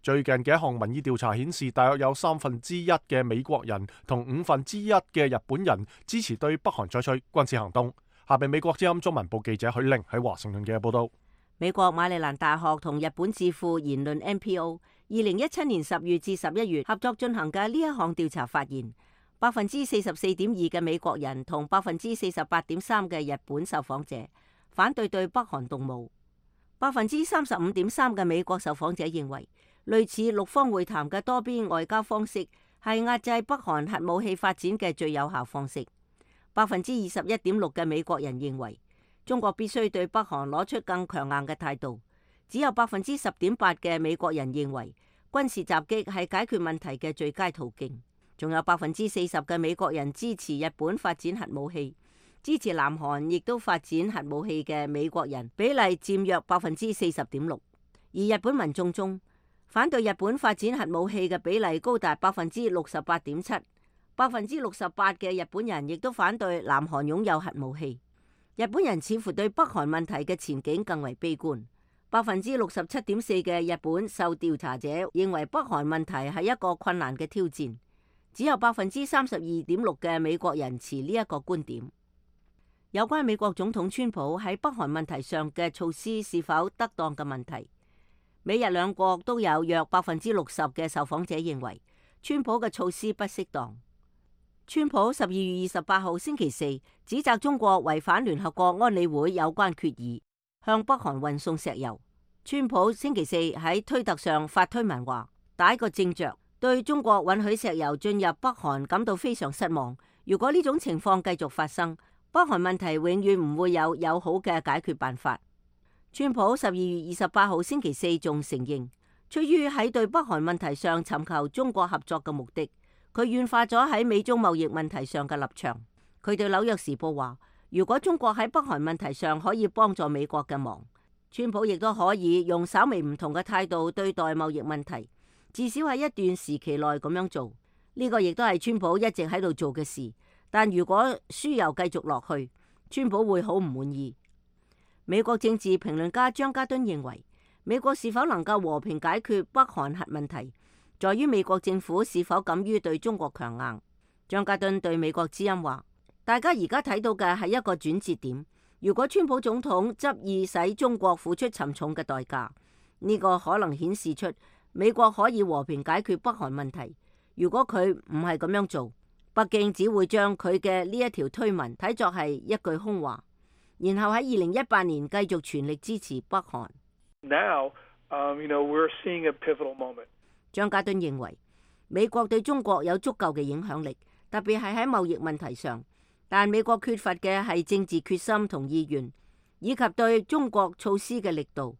最近嘅一項民意調查顯示，大約有三分之一嘅美國人同五分之一嘅日本人支持對北韓採取軍事行動。下邊美國之音中文部記者許玲喺華盛頓嘅報導。美國馬里蘭大學同日本智庫言論 N P O 二零一七年十月至十一月合作進行嘅呢一項調查發現，百分之四十四點二嘅美國人同百分之四十八點三嘅日本受訪者反對對北韓動武。百分之三十五點三嘅美國受訪者認為，類似六方會談嘅多邊外交方式係壓制北韓核武器發展嘅最有效方式。百分之二十一點六嘅美國人認為，中國必須對北韓攞出更強硬嘅態度。只有百分之十點八嘅美國人認為，軍事襲擊係解決問題嘅最佳途徑。仲有百分之四十嘅美國人支持日本發展核武器，支持南韓亦都發展核武器嘅美國人比例佔約百分之四十點六。而日本民眾中，反對日本發展核武器嘅比例高達百分之六十八點七，百分之六十八嘅日本人亦都反對南韓擁有核武器。日本人似乎對北韓問題嘅前景更為悲觀，百分之六十七點四嘅日本受調查者認為北韓問題係一個困難嘅挑戰。只有百分之三十二點六嘅美國人持呢一個觀點。有關美國總統川普喺北韓問題上嘅措施是否得當嘅問題，美日兩國都有約百分之六十嘅受訪者認為川普嘅措施不適當。川普十二月二十八號星期四指責中國違反聯合國安理會有關決議，向北韓運送石油。川普星期四喺推特上發推文話，打一個正着，對中國允許石油進入北韓感到非常失望。如果呢種情況繼續發生，北韓問題永遠唔會有友好嘅解決辦法。川普十二月二十八號星期四仲承認，出於喺對北韓問題上尋求中國合作嘅目的，佢軟化咗喺美中貿易問題上嘅立場。佢對紐約時報話，如果中國喺北韓問題上可以幫助美國嘅忙，川普亦都可以用稍微唔同嘅態度對待貿易問題。至少喺一段時期內咁樣做，呢個亦都係川普一直喺度做嘅事。但如果輸油繼續落去，川普會好唔滿意。美國政治評論家張家敦認為，美國是否能夠和平解決北韓核問題，在於美國政府是否敢於對中國強硬。張家敦對美國之音話，大家而家睇到嘅係一個轉折點。如果川普總統執意使中國付出沉重嘅代價，呢個可能顯示出美國可以和平解決北韓問題。如果佢唔係咁樣做，北京只會將佢嘅呢一條推文睇作係一句空話，然後喺二零一八年繼續全力支持北韓。Now, um, you know, we're seeing a pivotal moment. 張家敦認為，美國對中國有足夠嘅影響力，特別係喺貿易問題上。但美國缺乏嘅係政治決心同意願，以及對中國措施嘅力度。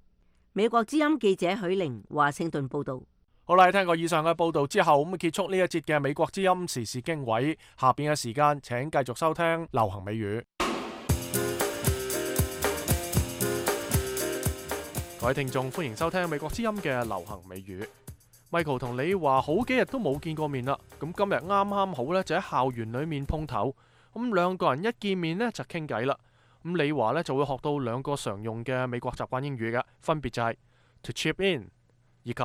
美國之音記者許玲華盛頓報道。好啦，聽過以上嘅報道之後，咁結束呢一節嘅美國之音時事經緯。下邊嘅時間，請繼續收聽流行美語。各位聽眾，歡迎收聽美國之音嘅流行美語。Michael 同你話好幾日都冇見過面啦，咁今日啱啱好咧，就喺校園裏面碰頭。咁兩個人一見面呢，就傾偈啦。咁李華呢，就會學到兩個常用嘅美國習慣英語嘅，分別就係 to chip in 以及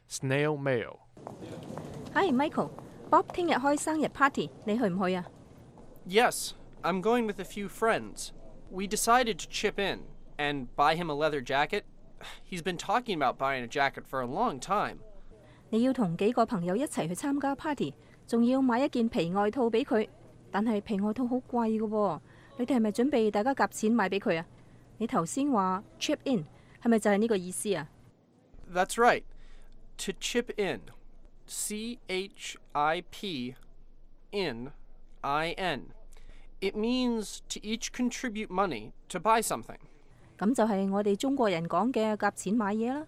snail mail。Hi Michael，Bob 聽日開生日 party， 你去唔去啊 ？Yes, I'm going with a few friends. We decided to chip in and buy him a leather jacket. He's been talking about buying a jacket for a long time. 你要同幾個朋友一齊去參加 party， 仲要買一件皮外套俾佢。但係皮外套好貴㗎喎，你哋係咪準備大家夾錢買俾佢啊？你頭先話 chip in 係咪就係呢個意思啊？ That's right. To chip in, C H I P in I N. It means to each contribute money to buy something. 咁就係我哋中國人講嘅夾錢買嘢啦。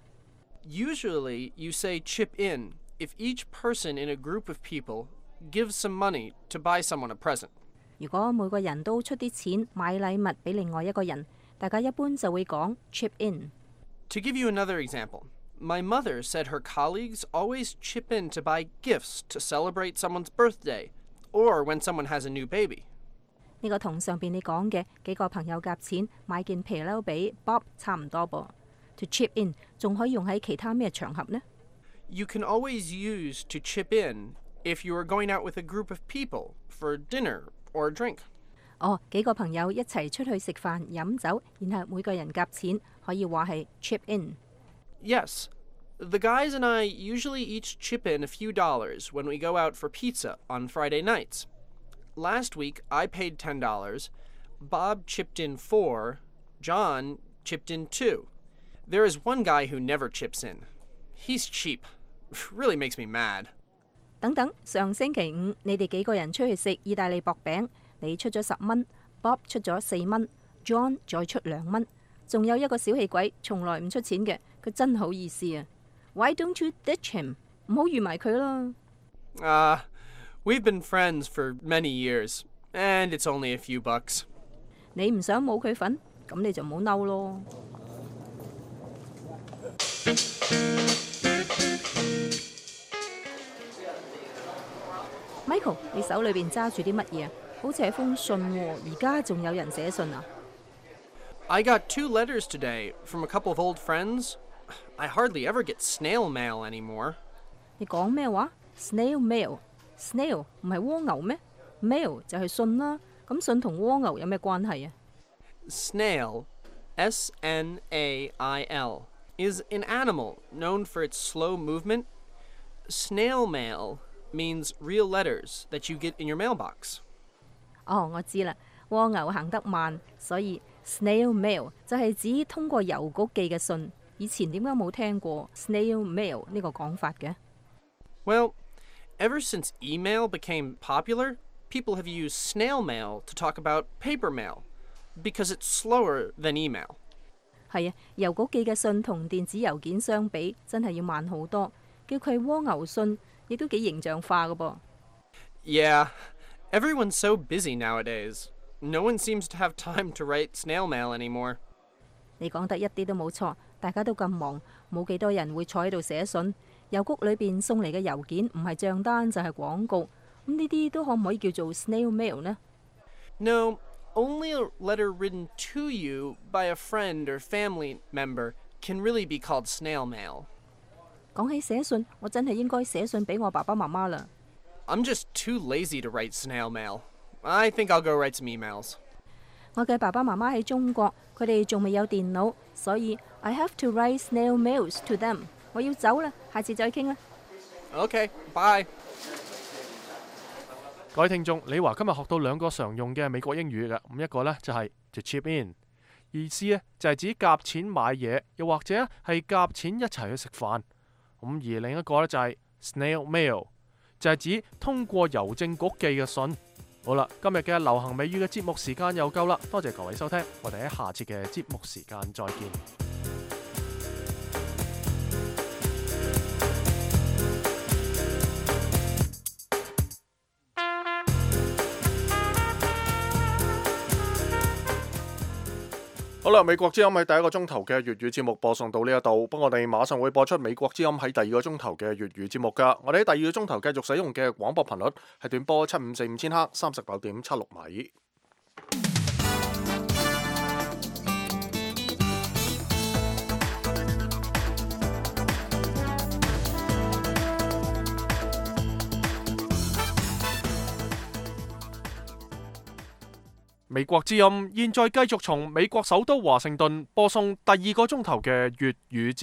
Usually you say chip in if each person in a group of people give some money to buy someone a present. 如果每個人都出啲錢買禮物俾另外一個人，大家一般就會講 chip in。 To give you another example, my mother said her colleagues always chip in to buy gifts to celebrate someone's birthday or when someone has a new baby. 呢個同上邊你講嘅幾個朋友夾錢買件皮褸俾 Bob 差唔多噃。To chip in 仲可以用喺其他咩場合呢？ You can always use to chip in if you are going out with a group of people for dinner or a drink. 哦，幾個朋友一齊出去食飯飲酒，然後每個人夾錢，可以話係 chip in. Yes, the guys and I usually each chip in a few dollars when we go out for pizza on Friday nights. Last week I paid ten dollars, Bob chipped in four, John chipped in two. There is one guy who never chips in. He's cheap. Really makes me mad. 等等，上星期五你哋幾個人出去食意大利薄餅，你出咗十蚊 ，Bob 出咗四蚊 ，John 再出兩蚊，仲有一個小氣鬼，從來唔出錢嘅，佢真好意思啊 ！Why don't you ditch him？ 唔好預埋佢啦。Ah, uh, we've been friends for many years, and it's only a few bucks. 你唔想冇佢份，咁你就唔好嬲咯。Michael， 你手裏邊揸住啲乜嘢？好似係封信喎，而家仲有人寫信啊 I got two letters today from a couple of old friends. I hardly ever get snail mail anymore. 你講咩話 ？Snail mail，snail 唔係蝸牛咩 ？mail 就係信啦。咁信同蝸牛有咩關係啊 ？Snail, S N A I L, is an animal known for its slow movement. Snail mail means real letters that you get in your mailbox. 哦，我知啦，蝸牛行得慢，所以 snail mail 就係指通過郵局寄嘅信。以前點解冇聽過 snail mail 呢個講法嘅 ？Well, ever since email became popular, people have used snail mail to talk about paper mail because it's slower than email. 係啊，郵局寄嘅信同電子郵件相比，真係要慢好多。叫佢蝸牛信，亦都幾形象化㗎噃。Yeah, everyone's so busy nowadays. No one seems to have time to write snail mail anymore. 你講得一啲都冇錯，大家都咁忙，冇幾多人會坐喺度寫信。郵局裏邊送嚟嘅郵件唔係帳單就係廣告，咁呢啲都可唔可以叫做 snail mail 呢？ No, only a letter written to you by a friend or family member can really be called snail mail. 講起寫信，我真係應該寫信俾我爸爸媽媽啦。I'm just too lazy to write snail mail. I think I'll go write some emails. 我嘅爸爸媽媽喺中國，佢哋仲未有電腦，所以 I have to write snail mails to them. 我要走啦，下次再傾啦。Okay, bye. 各位聽眾，李華今日學到兩個常用嘅美國英語嘅，咁一個呢就係 to chip in， 意思呢就係指夾錢買嘢，又或者係夾錢一齊去食飯。咁而另一個呢就係 snail mail，就係指通過郵政局寄嘅信。好啦，今日嘅流行美語嘅節目時間又夠啦，多謝各位收聽，我哋喺下次嘅節目時間再見。好啦，美國之音喺第一個鐘頭嘅粵語節目播送到呢一度，不過我哋馬上會播出美國之音喺第二個鐘頭嘅粵語節目噶。我哋喺第二個鐘頭繼續使用嘅廣播頻率係短波七五四五千赫，三十九點七六米。美國之音現在繼續從美國首都華盛頓播送第二個鐘頭嘅粵語節目。